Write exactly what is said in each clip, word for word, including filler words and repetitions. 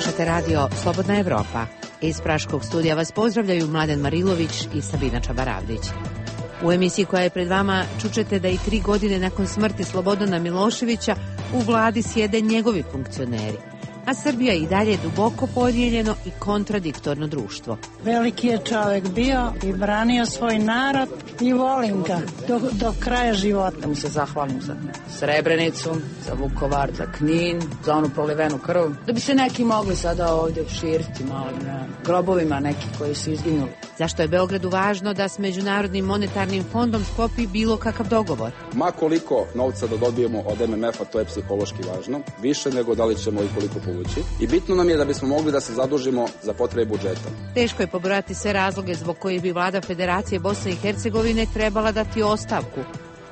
Slušate radio Slobodna Evropa. Iz Praškog studija vas pozdravljaju Mladen Marilović i Sabina Čabaravdić. U emisiji koja je pred vama čućete da i tri godine nakon smrti Slobodana Miloševića u vladi sjede njegovi funkcioneri, a Srbija i dalje duboko podijeljeno i kontradiktorno društvo. Veliki je čovjek bio i branio svoj narod i volim ga do, do kraja života. Da mu se zahvalim za Srebrenicu, za Vukovar, za Knin, za onu prolivenu krv. Da bi se neki mogli sada ovdje širiti malo na grobovima neki koji su izginuli. Zašto je Beogradu važno da s Međunarodnim monetarnim fondom sklopi bilo kakav dogovor? Ma koliko novca da dobijemo od em em efa, to je psihološki važno. Više nego da li ćemo i koliko povući. I bitno nam je da bismo mogli da se zadužimo za potrebe budžeta. Teško je pobrojati sve razloge zbog kojih bi vlada Federacije Bosne i Hercegovine trebala dati ostavku.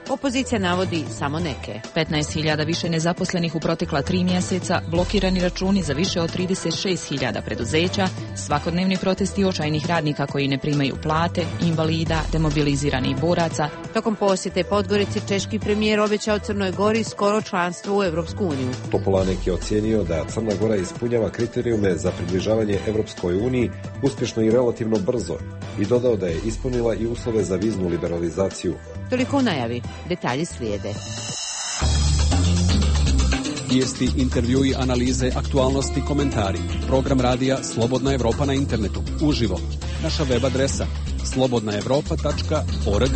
Opozicija navodi samo neke. petnaest hiljada više nezaposlenih u protekla tri mjeseca, blokirani računi za više od trideset šest hiljada preduzeća, svakodnevni protesti očajnih radnika koji ne primaju plate, invalida, demobiliziranih boraca. Tokom posjete Podgorici češki premijer obećao Crnoj Gori skoro članstvo u Evropsku uniju. Topolanek je ocijenio da Crna Gora ispunjava kriterijume za približavanje Evropskoj uniji uspješno i relativno brzo i dodao da je ispunila i uslove za viznu liberalizaciju. Toliko u najavi. Detalji slijede. Vijesti, intervjui, analize, aktualnosti, komentari. Program radija Slobodna Evropa na internetu. Uživo. Naša web adresa slobodna evropa tačka org.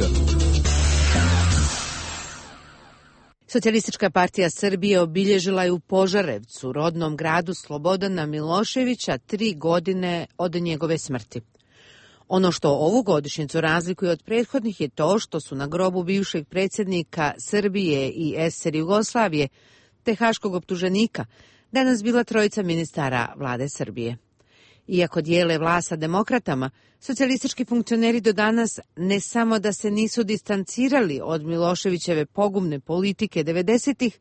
Socijalistička partija Srbije obilježila je u Požarevcu, rodnom gradu Slobodana Miloševića, tri godine od njegove smrti. Ono što ovu godišnjicu razlikuje od prethodnih je to što su na grobu bivšeg predsjednika Srbije i es er Jugoslavije, te haškog optuženika, danas bila trojica ministara vlade Srbije. Iako dijele vlast sa demokratama, socijalistički funkcioneri do danas ne samo da se nisu distancirali od Miloševićeve pogubne politike devedesetih,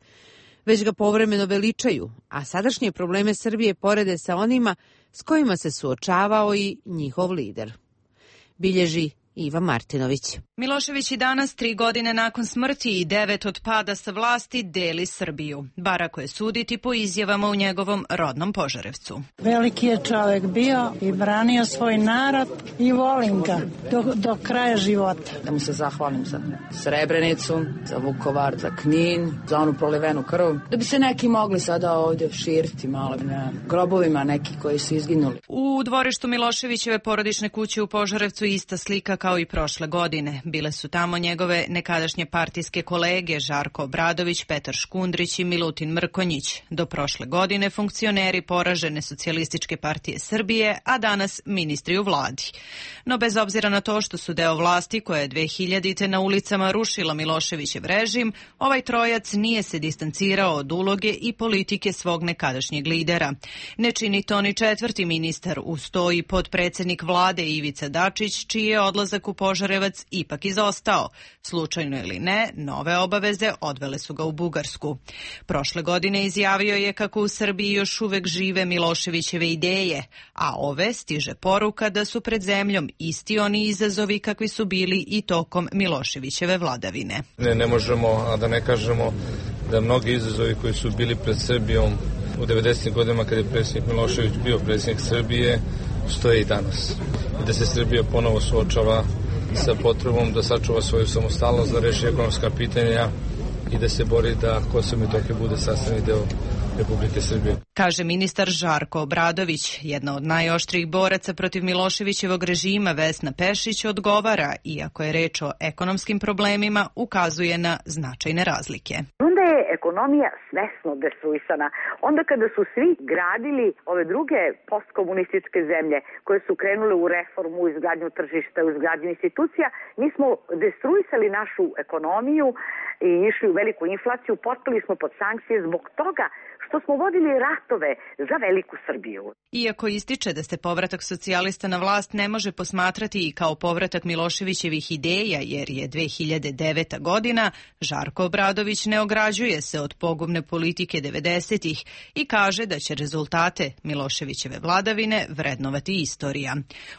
već ga povremeno veličaju, a sadašnje probleme Srbije porede sa onima s kojima se suočavao i njihov lider. Bilježi Iva Martinović. Milošević i danas, tri godine nakon smrti i devet od pada sa vlasti, deli Srbiju. Bar ako je suditi po izjavama u njegovom rodnom Požarevcu. Veliki je čovjek bio i branio svoj narod i volim ga do, do kraja života. Da mu se zahvalim za Srebrenicu, za Vukovar, za Knin, za onu prolivenu krv. Da bi se neki mogli sada ovdje širiti malo na grobovima neki koji su izginuli. U dvorištu Miloševićeve porodične kuće u Požarevcu ista slika kao i prošle godine. Bile su tamo njegove nekadašnje partijske kolege Žarko Obradović, Petar Škundrić i Milutin Mrkonjić. Do prošle godine funkcioneri poražene Socijalističke partije Srbije, a danas ministri u vladi. No bez obzira na to što su deo vlasti koja je dve hiljadite na ulicama rušila Miloševićev režim, ovaj trojac nije se distancirao od uloge i politike svog nekadašnjeg lidera. Ne čini to ni četvrti ministar, uz to i potpredsjednik vlade Ivica Dačić, čiji je odlazak u Požarevac ipak izostao. Slučajno ili ne, nove obaveze odvele su ga u Bugarsku. Prošle godine izjavio je kako u Srbiji još uvek žive Miloševićeve ideje, a ove stiže poruka da su pred zemljom isti oni izazovi kakvi su bili i tokom Miloševićeve vladavine. Ne, ne možemo, a da ne kažemo da mnogi izazovi koji su bili pred Srbijom u devedesetim godinama kada je predsjednik Milošević bio predsjednik Srbije, stoje i danas. I da se Srbija ponovo suočava sa potrebom da sačuva svoju samostalnost, da reši ekonomska pitanja i da se bori da Kosovo i Metohija bude sastavni deo Republike Srbije. Kaže ministar Žarko Obradović. Jedna od najoštrijih boraca protiv Miloševićevog režima, Vesna Pešić, odgovara, iako je reč o ekonomskim problemima, ukazuje na značajne razlike. Onda je ekonomija svesno destruisana. Onda kada su svi gradili ove druge postkomunističke zemlje koje su krenule u reformu, u izgradnju tržišta, u izgradnju institucija, mi smo destruisali našu ekonomiju i išli u veliku inflaciju, potpali smo pod sankcije zbog toga što smo vodili ratove za veliku Srbiju. Iako ističe da se povratak socijalista na vlast ne može posmatrati i kao povratak Miloševićevih ideja, jer je dve hiljade deveta godina, Žarko Obradović ne ograđuje se od pogubne politike devedesetih i kaže da će rezultate Miloševićeve vladavine vrednovati istorija.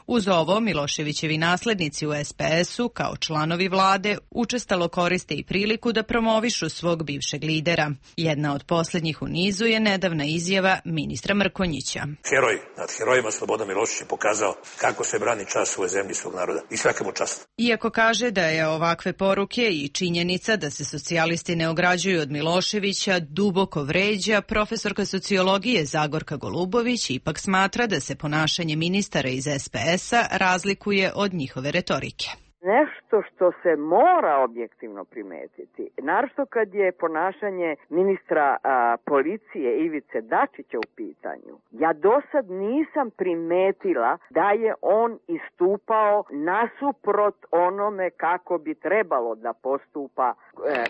Uz ovo, Miloševićevi naslednici u es pe esu, kao članovi vlade, učestalo koriste i priliku da promovišu svog bivšeg lidera. Jedna od posljednjih u nizu je nedavna izjava izjava ministra Mrkonjića. Heroj nad herojima Slobodan Milošević je pokazao kako se brani čast svoje zemlje i svog naroda. I svaka mu čast. Iako kaže da je ovakve poruke i činjenica da se socijalisti ne ograđuju od Miloševića duboko vređa, profesorka sociologije Zagorka Golubović ipak smatra da se ponašanje ministara iz es pe es-a razlikuje od njihove retorike. Nešto što se mora objektivno primetiti, naročito kad je ponašanje ministra a, policije Ivice Dačića u pitanju. Ja do sad nisam primetila da je on istupao nasuprot onome kako bi trebalo da postupa e,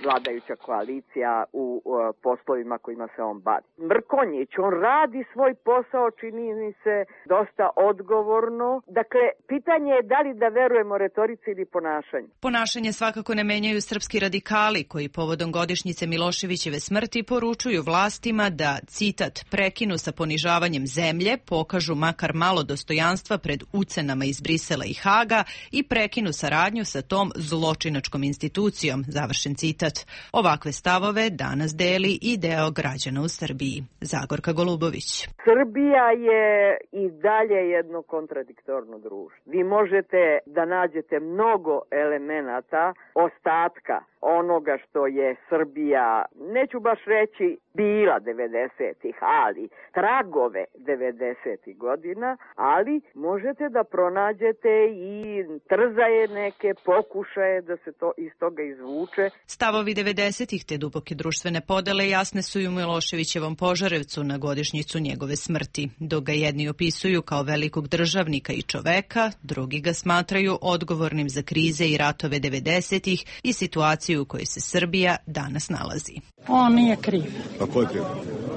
vladajuća koalicija u e, poslovima kojima se on bavi. Mrkonjić, on radi svoj posao, čini mi se dosta odgovorno. Dakle, pitanje je da li da verujemo retorici ili ponašanju. Ponašanje svakako ne menjaju srpski radikali koji povodom godišnjice Miloševićeve smrti poručuju vlastima da, citat, prekinu sa ponižavanjem zemlje, pokažu makar malo dostojanstva pred ucenama iz Brisela i Haga i prekinu saradnju sa tom zločinačkom institucijom, završen citat. Ovakve stavove danas deli i deo građana u Srbiji. Zagorka Golubović. Srbija je i dalje jedno kontradiktorno društvo. Vi možete da nađete mnogo elemenata ostatka onoga što je Srbija, neću baš reći bila devedesetih, ali tragove devedesetih godina, ali možete da pronađete i trzaje neke pokušaje da se to iz toga izvuče. Stavovi devedesetih te duboke društvene podele jasne su i u Miloševićevom Požarevcu na godišnjicu njegove smrti. Dok ga jedni opisuju kao velikog državnika i čoveka, drugi ga smatraju odgovornim za krize i ratove devedesetih i situaciju u kojoj se Srbija danas nalazi. On nije kriv. A ko je kriv?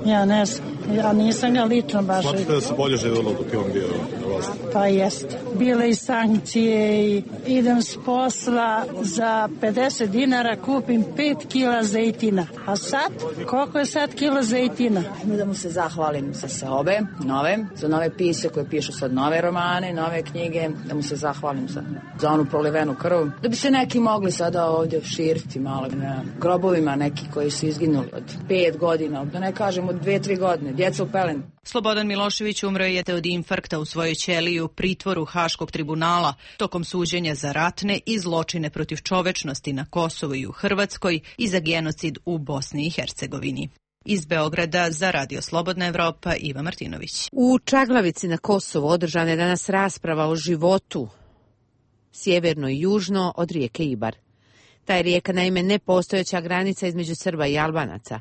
Ja ne znam. Ja nisam ga lično baš... Smatrate da se bolje živjelo dok je on bio na vlasti? Pa jeste. Bile i sankcije i idem s posla za pedeset dinara kupim pet kila zejtina. A sad? Koliko je sad kilo zejtina? Da mu se zahvalim za sve ove nove, za nove pise koje pišu sad nove romane, nove knjige, da mu se zahvalim za, za onu prolivenu krv. Da bi se neki mogli sada ovdje širiti malo na grobovima neki koji su izginuli od pet godina, da ne kažem od dve, tri godine, djeca u pelenu. Slobodan Milošević umro je od infarkta u svojoj ćeliji u pritvoru Haškog tribunala tokom suđenja za ratne i zločine protiv čovečnosti na Kosovu i u Hrvatskoj i za genocid u Bosni i Hercegovini. Iz Beograda za Radio Slobodna Evropa Iva Martinović. U Čaglavici na Kosovu održana je danas rasprava o životu sjeverno i južno od rijeke Ibar. Ta je rijeka naime nepostojeća granica između Srba i Albanaca.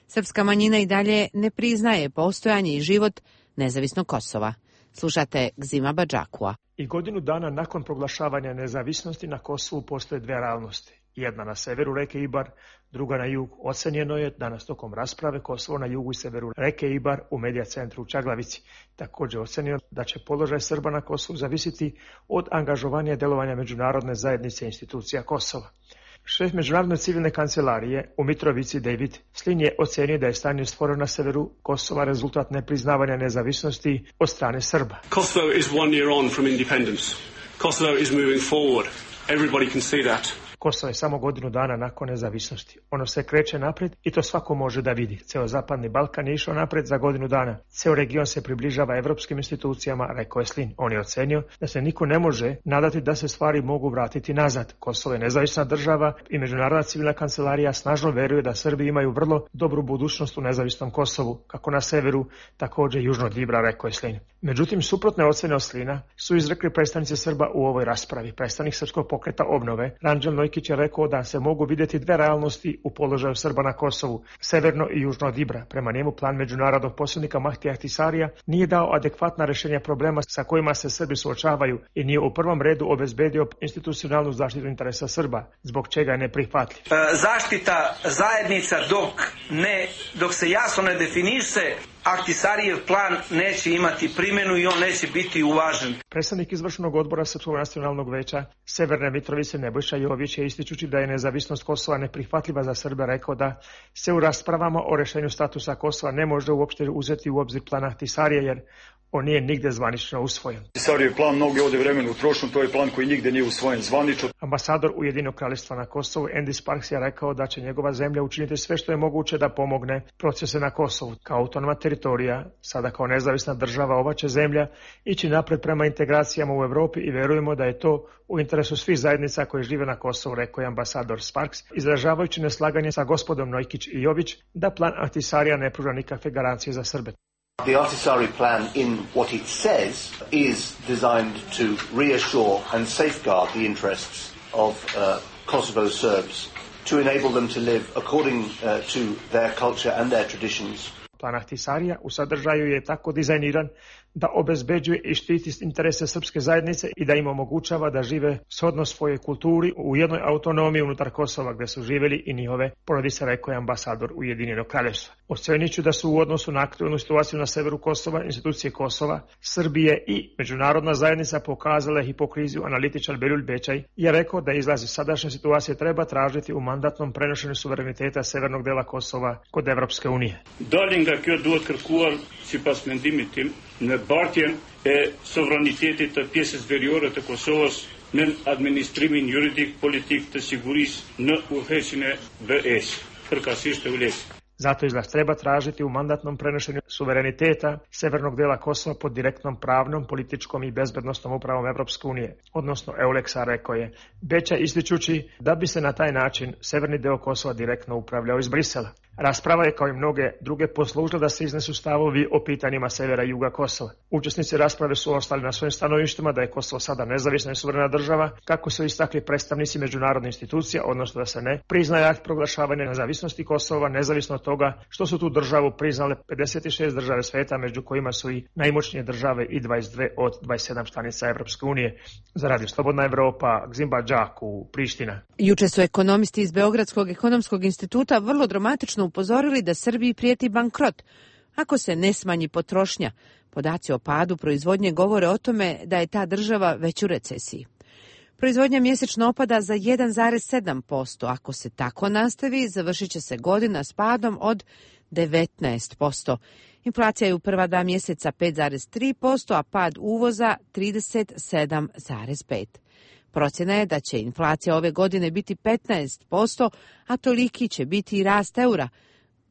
Srpska manjina i dalje ne priznaje postojanje i život nezavisnog Kosova. Slušate Gzima Badžakua. I godinu dana nakon proglašavanja nezavisnosti na Kosovu postoje dve realnosti. Jedna na severu reke Ibar, druga na jug. Ocenjeno je danas tokom rasprave Kosovo na jugu i severu reke Ibar u medija centru u Čaglavici. Također ocenjeno da će položaj Srba na Kosovu zavisiti od angažovanja delovanja međunarodne zajednice institucija Kosova. Šef Međunarodne civilne kancelarije u Mitrovici David Slin je ocenio da je stanje stvoreno na severu Kosova rezultat nepriznavanja nezavisnosti od strane Srba. Kosovo is one year on from independence. Kosovo is moving forward. Everybody can see that. Kosovo je samo godinu dana nakon nezavisnosti. Ono se kreće naprijed i to svako može da vidi. Ceo zapadni Balkan je išao naprijed za godinu dana. Ceo region se približava evropskim institucijama, rekao je Slin. On je ocenio da se niko ne može nadati da se stvari mogu vratiti nazad. Kosovo je nezavisna država i Međunarodna civilna kancelarija snažno veruje da Srbi imaju vrlo dobru budućnost u nezavisnom Kosovu, kako na severu, također južno od Ibra, rekao je Slin. Međutim, suprotne ocene od Slina su izrekli predstavnici Srba u ovoj raspravi. Predstavnik Srpskog pokreta obnove, Ranđel Nojkić, je rekao da se mogu vidjeti dve realnosti u položaju Srba na Kosovu, severno i južno od Ibra. Prema njemu plan međunarodnog posrednika Mahtija Ahtisarija nije dao adekvatna rješenja problema sa kojima se Srbi suočavaju i nije u prvom redu obezbedio institucionalnu zaštitu interesa Srba, zbog čega je neprihvatljiv. Zaštita zajednica dok ne, dok se jasno ne definiše, Ahtisarijev plan neće imati primjenu i on neće biti uvažen. Predstavnik izvršnog odbora Srpskog nacionalnog veća Severne Mitrovice Nebojša Jović je ističući da je nezavisnost Kosova neprihvatljiva za Srbe rekao da se u raspravama o rješenju statusa Kosova ne može uopšte uzeti u obzir plan Ahtisarije jer on nije nigde zvanično usvojen. Ahtisarijevov plan mnogo ovde vremena utrošen, to je plan koji nigde nije usvojen zvanično. Ambasador Ujedinjenog kraljevstva na Kosovu Andy Sparks je rekao da će njegova zemlja učiniti sve što je moguće da pomogne procese na Kosovu. Kao autonomna teritorija, sada kao nezavisna država, ova će zemlja ići napred prema integracijama u Evropi i verujemo da je to u interesu svih zajednica koje žive na Kosovu, rekao je ambasador Sparks, izražavajući neslaganje sa gospodom Nojkić i Jović da plan Ahtisarija ne pruža nikakve garancije za Srbe. The Ahtisaari plan, in what it says, is designed to reassure and safeguard the interests of uh, Kosovo Serbs, to enable them to live according uh, to their culture and their traditions. Plan Ahtisarija u sadržaju je tako dizajniran da obezbeđuje i štiti interese srpske zajednice i da im omogućava da žive shodno svojoj kulturi u jednoj autonomiji unutar Kosova gde su živeli i njihove porodice, rekao je ambasador Ujedinjenog kraljevstva. Ocenit ću da su u odnosu na aktualnu situaciju na severu Kosova, institucije Kosova, Srbije i međunarodna zajednica pokazale hipokriziju. Analitičar Beljul Bećaj je rekao da izlazi sadašnje situacije treba tražiti u mandatnom prenošenju suvereniteta severnog dela Kosova kod Evropske unije. Dalje nga kjo duhet kërkuar sipas mendimit tim në bartjen e sovranitetit të pjesës veriore të Kosovës në administrimin juridik politik të sigurisë në udhëheqjen e B E-s, përkatësisht e U L E-s. Zato izlaz treba tražiti u mandatnom prenošenju suvereniteta severnog dela Kosova pod direktnom pravnom, političkom i bezbednostnom upravom Evropske unije, odnosno EULEX-a, rekao je Beća, ističući da bi se na taj način severni deo Kosova direktno upravljao iz Brisela. Rasprava je kao i mnoge druge poslužila da se iznesu stavovi o pitanjima severa i juga Kosova. Učesnici rasprave su ostali na svojim stanovištima da je Kosovo sada nezavisna i suverena država, kako su istakli predstavnici međunarodne institucije, odnosno da se ne priznaje akt proglašavanja nezavisnosti Kosova, nezavisno od toga što su tu državu priznale pedeset šest države sveta, među kojima su i najmoćnije države i dvadeset dve od dvadeset sedam članica Evropske unije. Za Radio Slobodna Evropa, Gzimba Đaku, Priština. Juče su ekonomisti iz Beogradskog ekonomskog instituta vrlo dramatično upozorili da Srbiji prijeti bankrot ako se ne smanji potrošnja. Podaci o padu proizvodnje govore o tome da je ta država već u recesiji. Proizvodnja mjesečno opada za jedan zarez sedam posto. Ako se tako nastavi, završit će se godina s padom od devetnaest posto. Inflacija je u prva dva mjeseca pet zarez tri posto, a pad uvoza trideset sedam zarez pet posto. Procjena je da će inflacija ove godine biti petnaest posto, a toliki će biti i rast eura.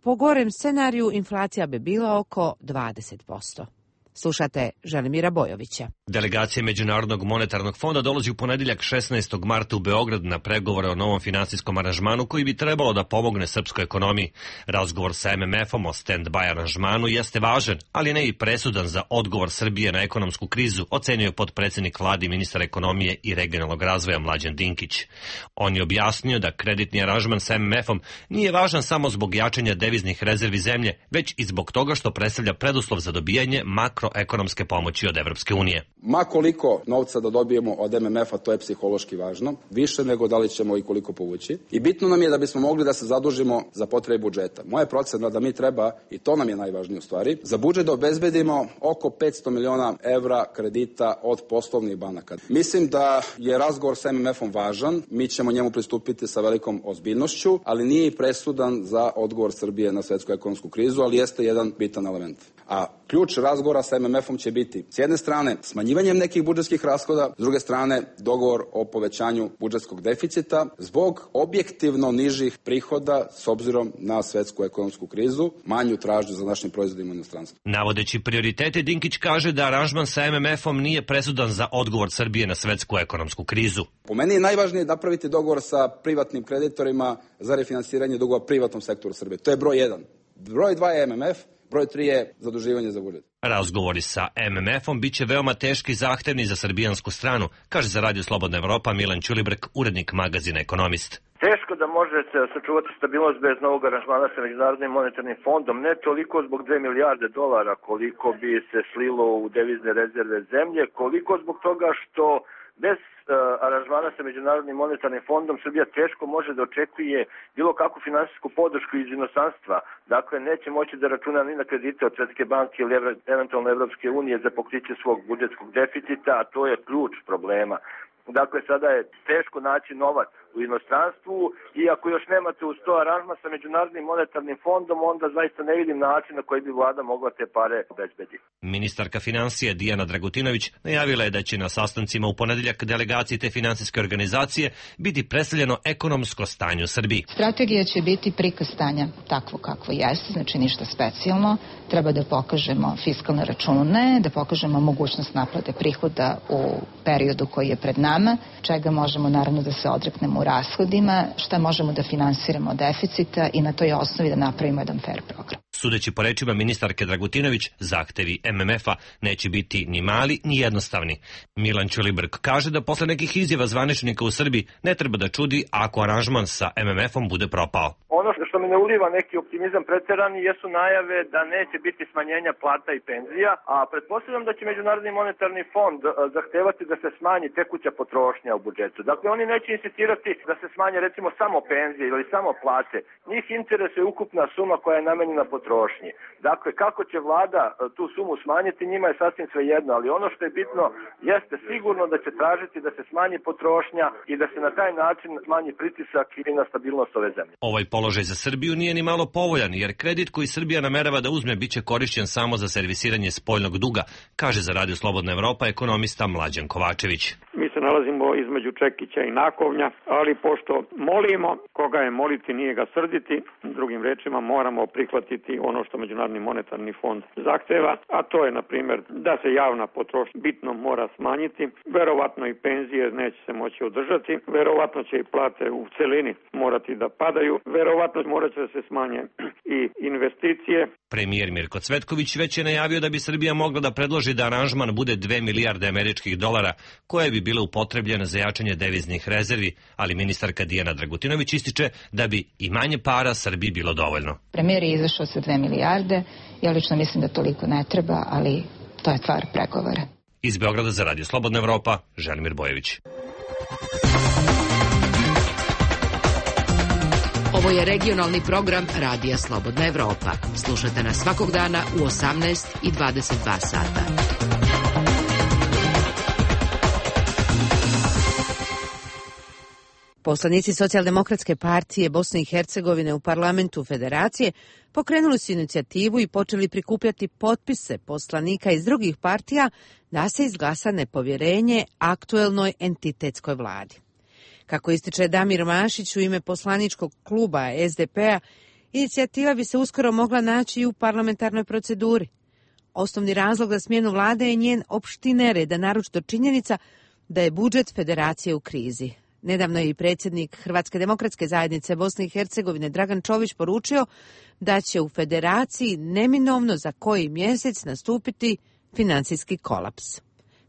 Po gorem scenariju inflacija bi bila oko dvadeset posto. Slušate Želimira Bojovića. Delegacija Međunarodnog monetarnog fonda dolazi u ponedjeljak šesnaestog marta u Beograd na pregovore o novom finansijskom aranžmanu koji bi trebalo da pomogne srpskoj ekonomiji. Razgovor sa M M F-om o stand-by aranžmanu jeste važan, ali ne i presudan za odgovor Srbije na ekonomsku krizu, ocenio potpredsjednik vlade i ministar ekonomije i regionalnog razvoja Mlađan Dinkić. On je objasnio da kreditni aranžman sa M M F-om nije važan samo zbog jačanja deviznih rezervi zemlje, već i zbog toga što predstavlja preduslov za dobijanje makroekonomske pomoći od Evropske unije. Ma koliko novca da dobijemo od M M F-a, to je psihološki važno, više nego da li ćemo i koliko povući. I bitno nam je da bismo mogli da se zadužimo za potrebe budžeta. Moja procena da mi treba, i to nam je najvažnije u stvari, za budžet da obezbedimo oko petsto miliona evra kredita od poslovnih banaka. Mislim da je razgovor sa M M F-om važan, mi ćemo njemu pristupiti sa velikom ozbiljnošću, ali nije i presudan za odgovor Srbije na svetsku ekonomsku krizu, ali jeste jedan bitan element. A ključ razgovora sa M M F-om će biti s jedne strane smanjivanjem nekih budžetskih rashoda, s druge strane dogovor o povećanju budžetskog deficita zbog objektivno nižih prihoda s obzirom na svetsku ekonomsku krizu, manju tražnju za našim proizvodima u inostranstvu. Navodeći prioritete, Dinkić kaže da aranžman sa M M F-om nije presudan za odgovor Srbije na svetsku ekonomsku krizu. Po meni je najvažnije napraviti dogovor sa privatnim kreditorima za refinansiranje dugova privatnom sektoru Srbije. To je broj jedan. Broj dva je M M F, broj tri je zaduživanje za budžet. Razgovori sa M M F-om biće veoma teški i zahtevni za srbijansku stranu, kaže za Radio Slobodna Evropa Milan Ćulibrk, urednik magazina Ekonomist. Teško da možete sačuvati stabilnost bez novog aranžmana sa Međunarodnim monetarnim fondom, ne toliko zbog dve milijarde dolara koliko bi se slilo u devizne rezerve zemlje, koliko zbog toga što bez uh, aranžmana sa Međunarodnim monetarnim fondom Srbija teško može da očekuje bilo kakvu finansijsku podršku iz inostranstva. Dakle, neće moći da računa ni na kredite od Svetske banke ili eventualno Evropske unije za pokriće svog budžetskog deficita, a to je ključ problema. Dakle, sada je teško naći novac u inostranstvu i ako još nemate uz to aranžman sa Međunarodnim monetarnim fondom, onda zaista ne vidim način na koji bi vlada mogla te pare obezbediti. Ministarka financije Dijana Dragutinović najavila je da će na sastancima u ponedeljak delegaciji te finansijske organizacije biti predstavljeno ekonomsko stanje u Srbiji. Strategija će biti prikaz stanja takvo kakvo jeste, znači ništa specijalno. Treba da pokažemo fiskalne račune, da pokažemo mogućnost naplate prihoda u periodu koji je pred nama, čega možemo naravno da se odreknemo u rashodima, šta možemo da finansiramo od deficita i na toj osnovi da napravimo jedan fair program. Sudeći po rečima ministarke Dragutinović, zahtevi M M F-a neće biti ni mali ni jednostavni. Milan Ćulibrk kaže da posle nekih izjava zvaničnika u Srbiji ne treba da čudi ako aranžman sa M M F-om bude propao. Ono što mi ne uliva neki optimizam preterani jesu najave da neće biti smanjenja plata i penzija, a pretpostavljam da će Međunarodni monetarni fond zahtevati da se smanji tekuća potrošnja u budžetu. Dakle, oni neće insistirati da se smanje recimo samo penzije ili samo plate. Njih interesuje ukupna suma koja je namenjena potrošnji. Dakle, kako će vlada tu sumu smanjiti, njima je sasvim svejedno, ali ono što je bitno jeste sigurno da će tražiti da se smanji potrošnja i da se na taj način smanji pritisak i na stabilnost ove zemlje. Ovaj položaj za Srbiju nije ni malo povoljan, jer kredit koji Srbija namerava da uzme biće korišćen samo za servisiranje spoljnog duga, kaže za Radio Slobodna Evropa ekonomista Mlađan Kovačević. Mi se nalazimo između čekića i nakovnja, ali pošto molimo, koga je moliti nije ga srditi, drugim rečima moramo prihvatiti ono što Međunarodni monetarni fond zahteva, a to je na primjer da se javna potrošnja bitno mora smanjiti, verovatno i penzije neće se moći održati, verovatno će i plate u celini morati da padaju, verovatno morat će da se smanje i investicije. Premijer Mirko Cvetković već je najavio da bi Srbija mogla da predloži da aranžman bude dve milijarde američkih dolara, koje bi bile upotrebljene za jačanje deviznih rezervi, ali ministarka Dijana Dragutinović ističe da bi i manje para Srbiji bilo dovoljno. Premijer je izašao sa dve milijarde, ja lično mislim da toliko ne treba, ali to je stvar pregovora. Iz Beograda za Radio Slobodna Evropa, Želimir Bojević. Ovo je regionalni program Radija Slobodna Evropa. Slušajte nas svakog dana u osamnaest i dvadeset dva sata. Poslanici Socijaldemokratske partije Bosne i Hercegovine u parlamentu Federacije pokrenuli su inicijativu i počeli prikupljati potpise poslanika iz drugih partija da se izglasa nepovjerenje aktuelnoj entitetskoj vladi. Kako ističe Damir Mašić u ime poslaničkog kluba S D P-a, inicijativa bi se uskoro mogla naći i u parlamentarnoj proceduri. Osnovni razlog za smjenu vlade je njen opšti nered, a naročito činjenica da je budžet federacije u krizi. Nedavno je i predsjednik Hrvatske demokratske zajednice Bosne i Hercegovine Dragan Čović poručio da će u federaciji neminovno za koji mjesec nastupiti financijski kolaps.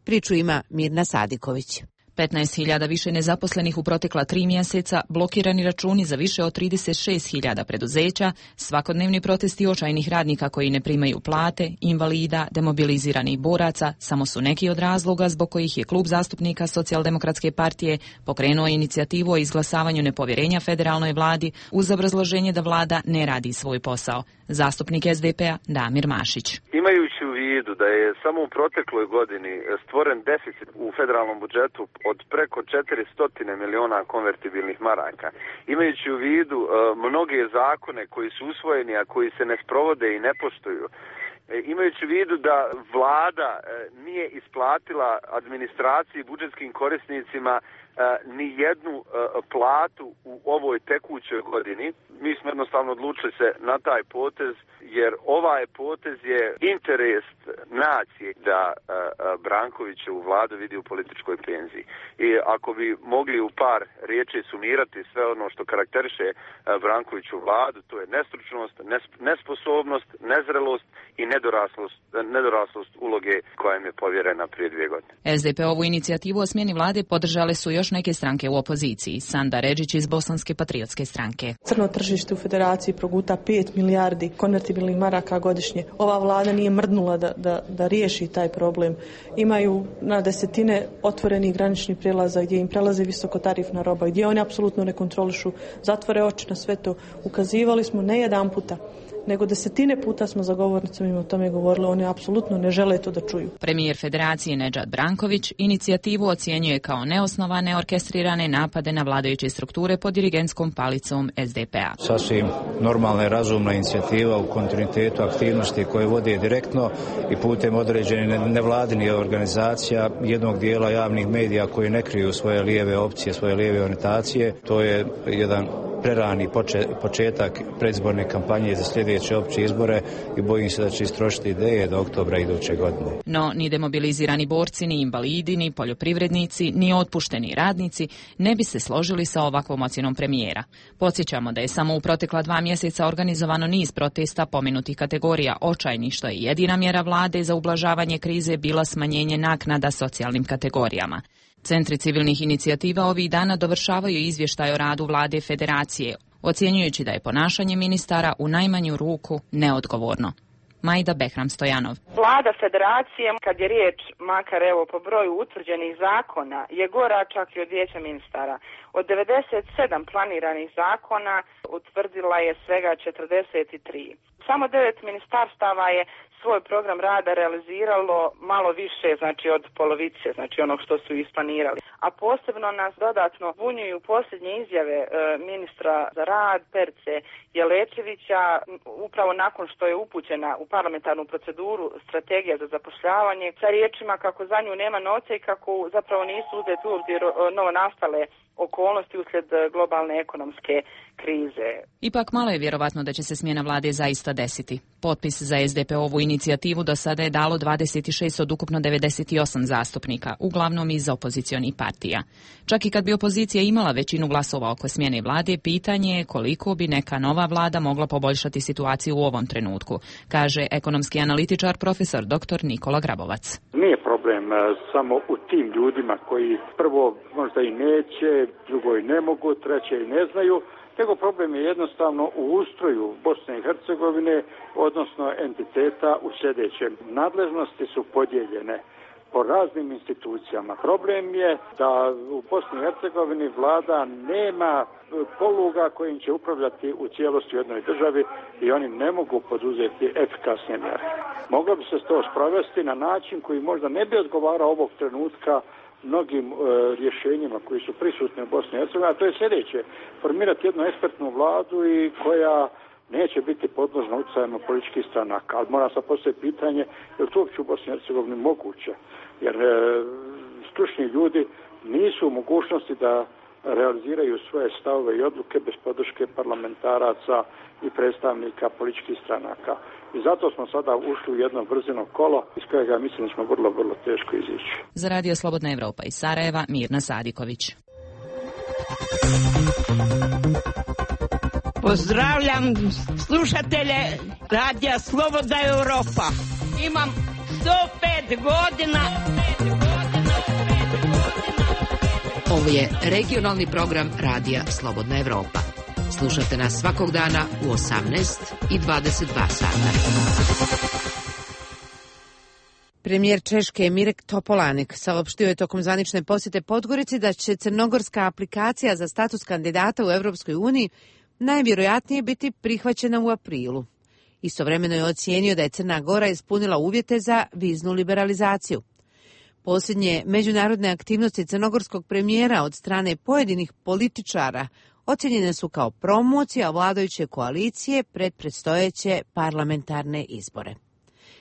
Priču ima Mirna Sadiković. petnaest hiljada više nezaposlenih u protekla tri mjeseca, blokirani računi za više od trideset šest hiljada preduzeća, svakodnevni protesti očajnih radnika koji ne primaju plate, invalida, demobiliziranih boraca, samo su neki od razloga zbog kojih je klub zastupnika Socijaldemokratske partije pokrenuo inicijativu o izglasavanju nepovjerenja federalnoj vladi uz obrazloženje da vlada ne radi svoj posao. Zastupnik S D P-a Damir Mašić. Imajući u vidu da je samo u protekloj godini stvoren deficit u federalnom budžetu od preko četiristo miliona konvertibilnih maraka, imajući u vidu uh, mnoge zakone koji su usvojeni, a koji se ne sprovode i ne poštuju, imajući u vidu da vlada uh, nije isplatila administraciji, budžetskim korisnicima uh, ni jednu uh, platu u ovoj tekućoj godini, mi smo jednostavno odlučili se na taj potez, jer ovaj potez je interes nacije da uh, Brankovićevu vladu vidi u političkoj penziji. I ako bi mogli u par riječi sumirati sve ono što karakteriše uh, Brankoviću vladu, to je nestručnost, nesp- nesposobnost, nezrelost i nedoraslost, nedoraslost uloge koja im je povjerena prije dvije godine. S D P ovu inicijativu o smjeni vlade podržale su još neke stranke u opoziciji. Sanda Redžić iz Bosanske patriotske stranke. Crno tržište u federaciji proguta pet milijardi konvertibilnih maraka godišnje. Ova vlada nije mrdnula da, da, da riješi taj problem. Imaju na desetine otvorenih graničnih prijelaza gdje im prelaze visokotarifna roba, gdje oni apsolutno ne kontrolišu, zatvore oči na sve to. Ukazivali smo ne jedan puta nego desetine puta smo za govornicom im o tome govorili, oni apsolutno ne žele to da čuju. Premijer Federacije Nedžad Branković inicijativu ocjenjuje kao neosnovane orkestrirane napade na vladajuće strukture pod dirigentskom palicom S D P-a. Sasvim normalna i razumna inicijativa u kontinuitetu aktivnosti koje vode direktno i putem određenih nevladinih organizacija, jednog dijela javnih medija koji ne kriju svoje lijeve opcije, svoje lijeve orijentacije. To je jedan prerani početak predizborne kampanje za sljedeće opće izbore i bojim se da će istrošiti ideje do oktobra iduće godine. No, ni demobilizirani borci, ni invalidi, ni poljoprivrednici, ni otpušteni radnici ne bi se složili sa ovakvom ocjenom premijera. Podsjećamo da je samo u protekla dva mjeseca organizovano niz protesta pomenutih kategorija očajnih, što je jedina mjera vlade za ublažavanje krize bila smanjenje naknada socijalnim kategorijama. Centri civilnih inicijativa ovih dana dovršavaju izvještaj o radu vlade Federacije, ocjenjujući da je ponašanje ministara u najmanju ruku neodgovorno. Majda Behram Stojanov. Vlada Federacije, kad je riječ, makar evo po broju utvrđenih zakona, je gora čak i od vijeća ministara. Od devedeset sedam planiranih zakona utvrdila je svega četrdeset tri. Samo devet ministarstava je svoj program rada realiziralo malo više, znači od polovice, znači onog što su isplanirali. A posebno nas dodatno bunjuju posljednje izjave e, ministra za rad Perice Jelečevića, upravo nakon što je upućena u parlamentarnu proceduru strategija za zapošljavanje, sa riječima kako za nju nema novca i kako zapravo nisu uzeti u obzir novo nastale okolnosti uslijed globalne ekonomske krize. Ipak malo je vjerovatno da će se smjena vlade zaista desiti. Potpis za S D P-ovu inicijativu do sada je dalo dvadeset šest od ukupno devedeset osam zastupnika, uglavnom iz opozicionih partija. Čak i kad bi opozicija imala većinu glasova oko smjene vlade, pitanje je koliko bi neka nova vlada mogla poboljšati situaciju u ovom trenutku, kaže ekonomski analitičar profesor doktor Nikola Grabovac. Nije problem samo u tim ljudima koji prvo možda i neće, drugo i ne mogu, treće i ne znaju, nego problem je jednostavno u ustroju Bosne i Hercegovine, odnosno entiteta u sljedećem. Nadležnosti su podijeljene po raznim institucijama. Problem je da u Bosni i Hercegovini vlada nema poluga kojim će upravljati u cijelosti u jednoj državi i oni ne mogu poduzeti efikasne mjere. Moglo bi se to sprovesti na način koji možda ne bi odgovarao ovog trenutka mnogim e, rješenjima koji su prisutni u Bosni i Hercegovini, a to je sljedeće: formirati jednu ekspertnu vladu i koja neće biti podložna utjecajima političkih stranaka. Ali mora se postaviti pitanje, je li to uopće u Bosni i Hercegovini moguće? Jer e, stručni ljudi nisu u mogućnosti da realiziraju svoje stavove i odluke bez podrške parlamentaraca i predstavnika političkih stranaka. I zato smo sada ušli u jedno brzino kolo iz kojega mislim da smo vrlo, vrlo teško izići. Za Radio Slobodna Evropa iz Sarajeva, Mirna Sadiković. Pozdravljam slušatelje Radija Slobodna Evropa. Imam sto pet godina. Ovo je regionalni program Radija Slobodna Evropa. Slušajte nas svakog dana u osamnaest i dvadeset dva sata. Premijer Češke Mirek Topolanek saopštio je tokom zvanične posjete Podgorici da će crnogorska aplikacija za status kandidata u Europskoj uniji najvjerojatnije biti prihvaćena u aprilu. Istovremeno je ocijenio da je Crna Gora ispunila uvjete za viznu liberalizaciju. Posljednje međunarodne aktivnosti crnogorskog premijera od strane pojedinih političara ocjenjene su kao promocija vladajuće koalicije pred predstojeće parlamentarne izbore.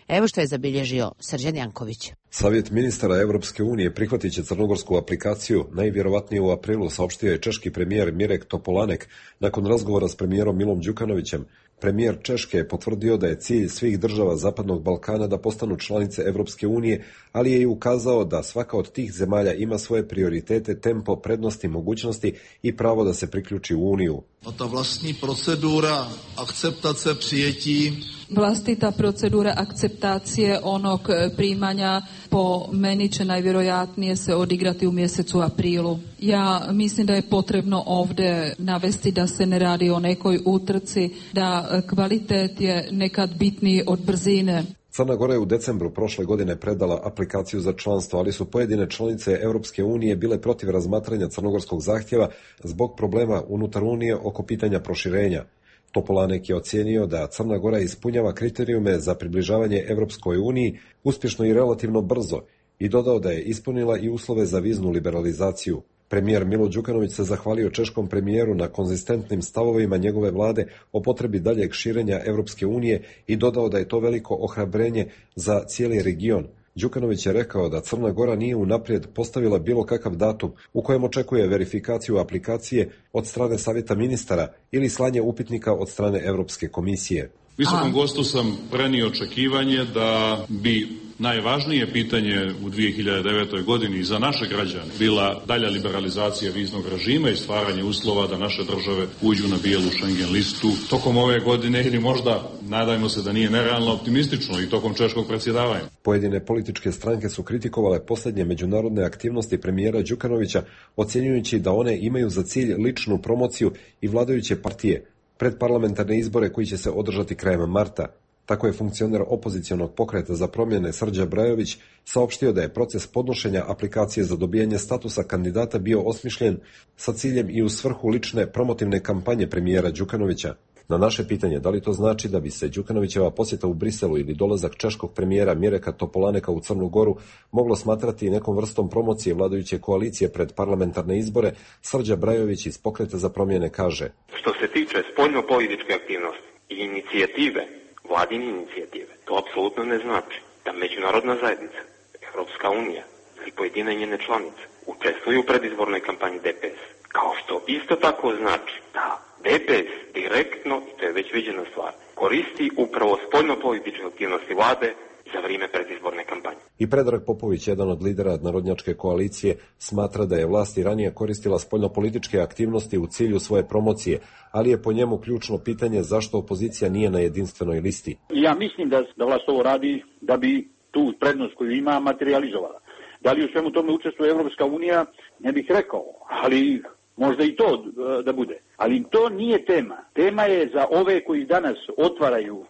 Evo što je zabilježio Srđan Janković. Savjet ministara Europske unije prihvatit će crnogorsku aplikaciju najvjerovatnije u aprilu, saopštio je češki premijer Mirek Topolanek nakon razgovora s premijerom Milom Đukanovićem. Premijer Češke je potvrdio da je cilj svih država Zapadnog Balkana da postanu članice Europske unije, ali je i ukazao da svaka od tih zemalja ima svoje prioritete, tempo, prednosti, mogućnosti i pravo da se priključi u Uniju. Ta vlastní procedura akceptace přijetí. Vlastita procedura akceptacije onog primanja po meni će najvjerojatnije se odigrati u mjesecu aprilu. Ja mislim da je potrebno ovdje navesti da se ne radi o nekoj utrci, da kvalitet je nekad bitniji od brzine. Crna Gora je u decembru prošle godine predala aplikaciju za članstvo, ali su pojedine članice Europske unije bile protiv razmatranja crnogorskog zahtjeva zbog problema unutar Unije oko pitanja proširenja. Topolanek je ocijenio da Crna Gora ispunjava kriterijume za približavanje Evropskoj uniji uspješno i relativno brzo i dodao da je ispunila i uslove za viznu liberalizaciju. Premijer Milo Đukanović se zahvalio češkom premijeru na konzistentnim stavovima njegove vlade o potrebi daljeg širenja Evropske unije i dodao da je to veliko ohrabrenje za cijeli region. Đukanović je rekao da Crna Gora nije unaprijed postavila bilo kakav datum u kojem očekuje verifikaciju aplikacije od strane Savjeta ministara ili slanje upitnika od strane Evropske komisije. Visokom gostu sam prenio očekivanje da bi najvažnije pitanje u dvije hiljade devetoj godini za naše građane bila dalja liberalizacija viznog režima i stvaranje uslova da naše države uđu na bijelu Schengen listu tokom ove godine ili možda, nadajmo se da nije nerealno optimistično, i tokom češkog predsjedavanja. Pojedine političke stranke su kritikovale posljednje međunarodne aktivnosti premijera Đukanovića, ocjenjujući da one imaju za cilj ličnu promociju i vladajuće partije pred parlamentarne izbore koji će se održati krajem marta. Tako je funkcioner opozicionog pokreta za promjene Srđa Brajović saopštio da je proces podnošenja aplikacije za dobijanje statusa kandidata bio osmišljen sa ciljem i u svrhu lične promotivne kampanje premijera Đukanovića. Na naše pitanje da li to znači da bi se Đukanovićeva posjeta u Briselu ili dolazak češkog premijera Mireka Topolaneka u Crnu Goru moglo smatrati nekom vrstom promocije vladajuće koalicije pred parlamentarne izbore, Srđa Brajović iz pokreta za promjene kaže: Što se tiče spoljno-političke aktivnosti i inicijative, vladine inicijative, to apsolutno ne znači da međunarodna zajednica, Evropska unija ili pojedine njene članice učestvuju u predizbornoj kampanji D P S. Kao što isto tako znači da D P S direktno, i to je već viđena stvar, koristi upravo spoljno-političke aktivnosti vlade za vrijeme predizborne kampanje. I Predrag Popović, jedan od lidera narodnjačke koalicije, smatra da je vlast i ranije koristila spoljnopolitičke aktivnosti u cilju svoje promocije, ali je po njemu ključno pitanje zašto opozicija nije na jedinstvenoj listi. Ja mislim da, da vlast ovo radi da bi tu prednost koju ima materializovala. Da li u svemu tome učestvuje Evropska unija, ne bih rekao, ali možda i to da bude. Ali to nije tema. Tema je za ove koji danas otvaraju uh,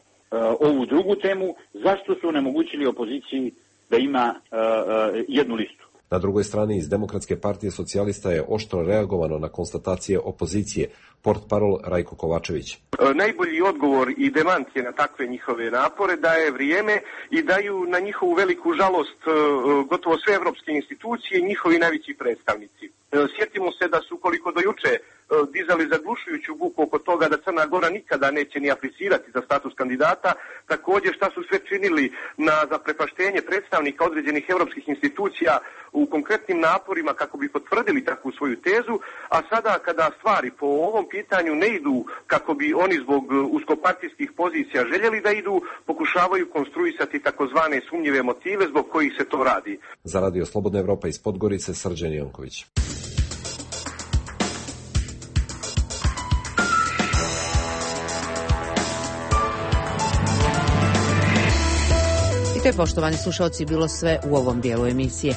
ovu drugu temu, zašto su onemogućili opoziciji da ima uh, uh, jednu listu. Na drugoj strani iz Demokratske partije socijalista je oštro reagovano na konstatacije opozicije, portparol Rajko Kovačević. Najbolji odgovor i demancije na takve njihove napore daje vrijeme i daju na njihovu veliku žalost gotovo sve evropske institucije i njihovi najveći predstavnici. Sjetimo se da su koliko do juče dizali zaglušujuću buku oko toga da Crna Gora nikada neće ni aplicirati za status kandidata, također šta su sve činili na zaprepaštenje predstavnika određenih evropskih institucija u konkretnim naporima kako bi potvrdili takvu svoju tezu, a sada kada stvari po ovom pitanju ne idu kako bi oni zbog uskopartijskih pozicija željeli da idu, pokušavaju konstruisati takozvane sumnjive motive zbog kojih se to radi. Za Radio Slobodna Evropa iz Podgorice, Srđan Janković. I to je, poštovani slušalci, bilo sve u ovom dijelu emisije.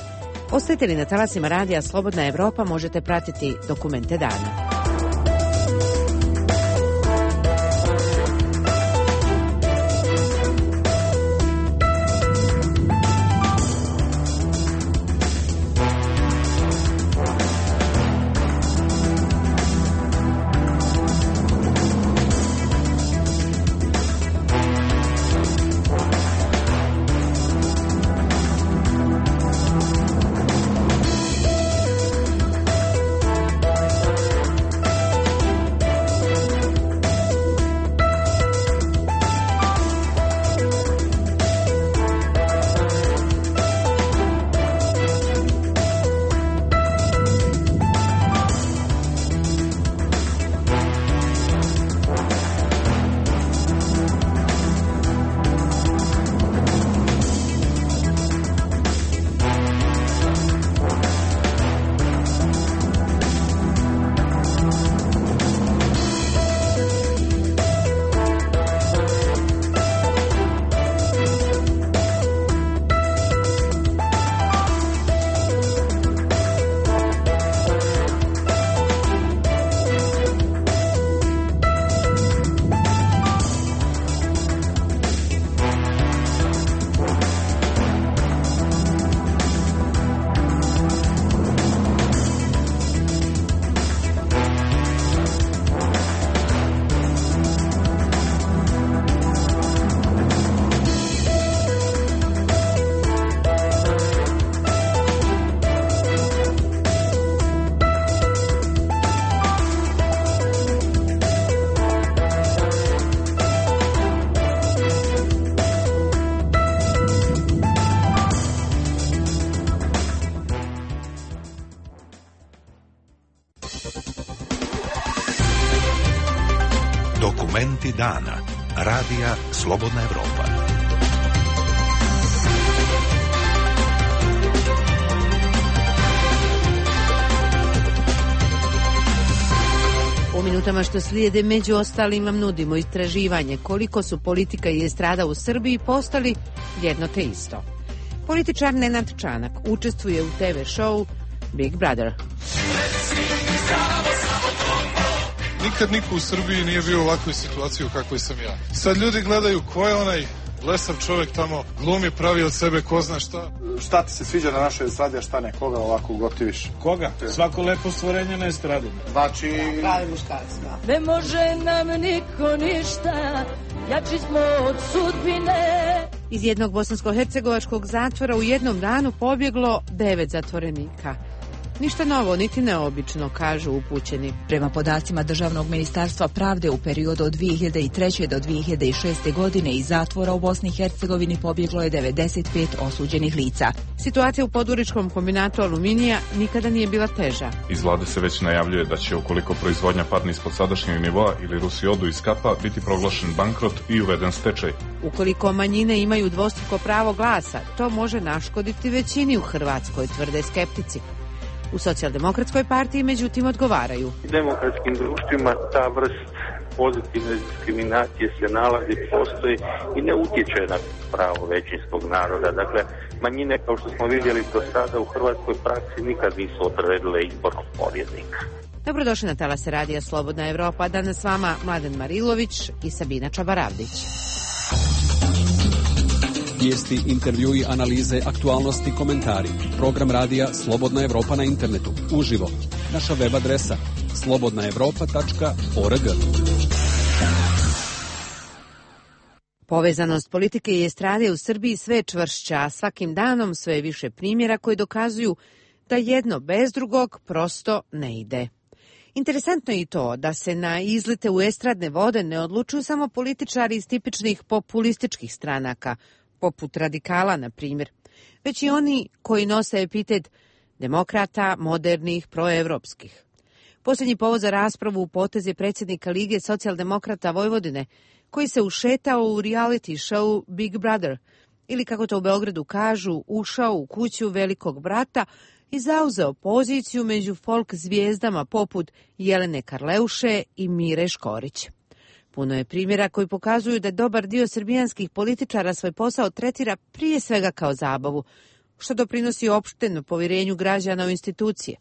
Ostajete li na talasima Radija Slobodna Evropa, možete pratiti Dokumente dana. Dokumenti dana. Radija Slobodna Evropa. U minutama što slijede, među ostalim, vam nudimo istraživanje koliko su politika i estrada u Srbiji postali jedno te isto. Političar Nenad Čanak učestvuje u te ve show Big Brother. Nikad niko u Srbiji nije bio u ovakvoj situaciji u kakvoj sam ja. Sad ljudi gledaju ko je onaj blesav čovjek tamo, glumi, pravi od sebe ko zna šta. Šta ti se sviđa na našoj estradi, a šta ne? Koga ovako ugotiviš? Koga? Svako lepo stvorenje na estradi. Znači... Pravi muškarac, da. Ne može nam niko ništa, jači smo od sudbine. Iz jednog bosansko-hercegovačkog zatvora u jednom danu pobjeglo devet zatvorenika. Ništa novo, niti neobično, kažu upućeni. Prema podacima Državnog ministarstva pravde, u periodu od dvije hiljade treće do dvije hiljade šeste godine iz zatvora u Bosni i Hercegovini pobjeglo je devedeset pet osuđenih lica. Situacija u podgoričkom kombinatu aluminija nikada nije bila teža. Iz vlade se već najavljuje da će, ukoliko proizvodnja padne ispod sadašnjeg nivoa ili Rusi odu iz kapa, biti proglašen bankrot i uveden stečaj. Ukoliko manjine imaju dvostruko pravo glasa, to može naškoditi većini u Hrvatskoj, tvrde skeptici. U Socijaldemokratskoj partiji, međutim, odgovaraju. U demokratskim društvima ta vrst pozitivne diskriminacije se nalazi, postoji i ne utječe na pravo većinskog naroda. Dakle, manjine, kao što smo vidjeli do sada u hrvatskoj praksi, nikad nisu odredile izbornog pobjednika. Dobrodošli na talase radija Slobodna Evropa. Danas s vama Mladen Marilović i Sabina Čabaravdić. Vijesti, intervjui, analize, aktualnosti, komentari. Program radija Slobodna Evropa na internetu. Uživo. Naša web adresa slobodna evropa tačka org. Povezanost politike i estrade u Srbiji sve je čvršća, a svakim danom sve je više primjera koji dokazuju da jedno bez drugog prosto ne ide. Interesantno je i to da se na izlete u estradne vode ne odlučuju samo političari iz tipičnih populističkih stranaka, poput radikala, na primjer, već i oni koji nose epitet demokrata, modernih, proevropskih. Posljednji povod za raspravu u potez je predsjednika Lige socijaldemokrata Vojvodine, koji se ušetao u reality show Big Brother, ili kako to u Beogradu kažu, ušao u kuću velikog brata i zauzeo poziciju među folk zvijezdama poput Jelene Karleuše i Mire Škorić. Puno je primjera koji pokazuju da dobar dio srbijanskih političara svoj posao tretira prije svega kao zabavu, što doprinosi opštenom povjerenju građana u institucije.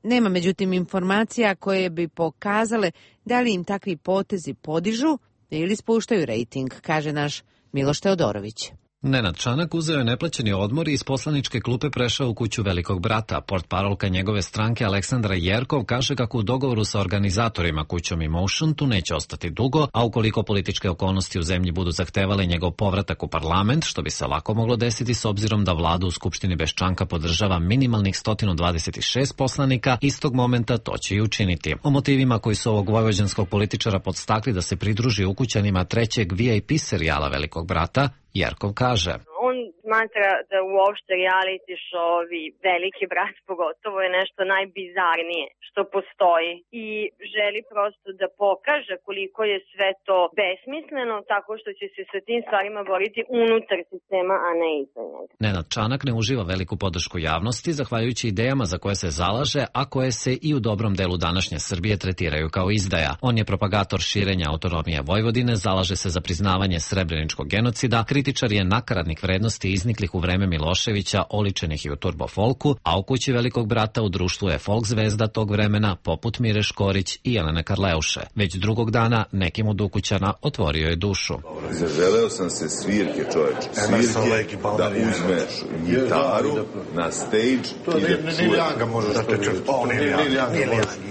Nema međutim informacija koje bi pokazale da li im takvi potezi podižu ili spuštaju rejting, kaže naš Miloš Teodorović. Nenad Čanak uzeo je neplaćeni odmor i iz poslaničke klupe prešao u kuću velikog brata. Portparolka njegove stranke Aleksandra Jerkov kaže kako u dogovoru sa organizatorima kućom Emotion tu neće ostati dugo, a ukoliko političke okolnosti u zemlji budu zahtevale njegov povratak u parlament, što bi se lako moglo desiti s obzirom da vladu u Skupštini bez Čanka podržava minimalnih sto dvadeset šest poslanika, istog momenta to će i učiniti. O motivima koji su ovog vojvođanskog političara podstakli da se pridruži ukućanima trećeg V I P serijala velikog brata, Jerkov kaže: On smatra da uopšte reality show-ovi, veliki brat pogotovo, je nešto najbizarnije što postoji i želi prosto da pokaže koliko je sve to besmisleno, tako što će se sa tim stvarima boriti unutar sistema, a ne iza njega. Nenad Čanak ne uživa veliku podršku javnosti, zahvaljujući idejama za koje se zalaže, a koje se i u dobrom delu današnje Srbije tretiraju kao izdaja. On je propagator širenja autonomije Vojvodine, zalaže se za priznavanje srebreničkog genocida, kritičar je nakaradnih vrednosti izniklih u vreme Miloševića, oličenih i u turbofolku, a u kući velikog brata u društvu je folk zvezda tog vremena poput Mire Škorić i Jelene Karleuše. Već drugog dana nekim od ukućana otvorio je dušu. Zaželeo sam se svirke, čoveče. Svirke, da uzmeš gitaru na stage i da čuješ. Ni Ljanga možeš to čuti. Ni Ljanga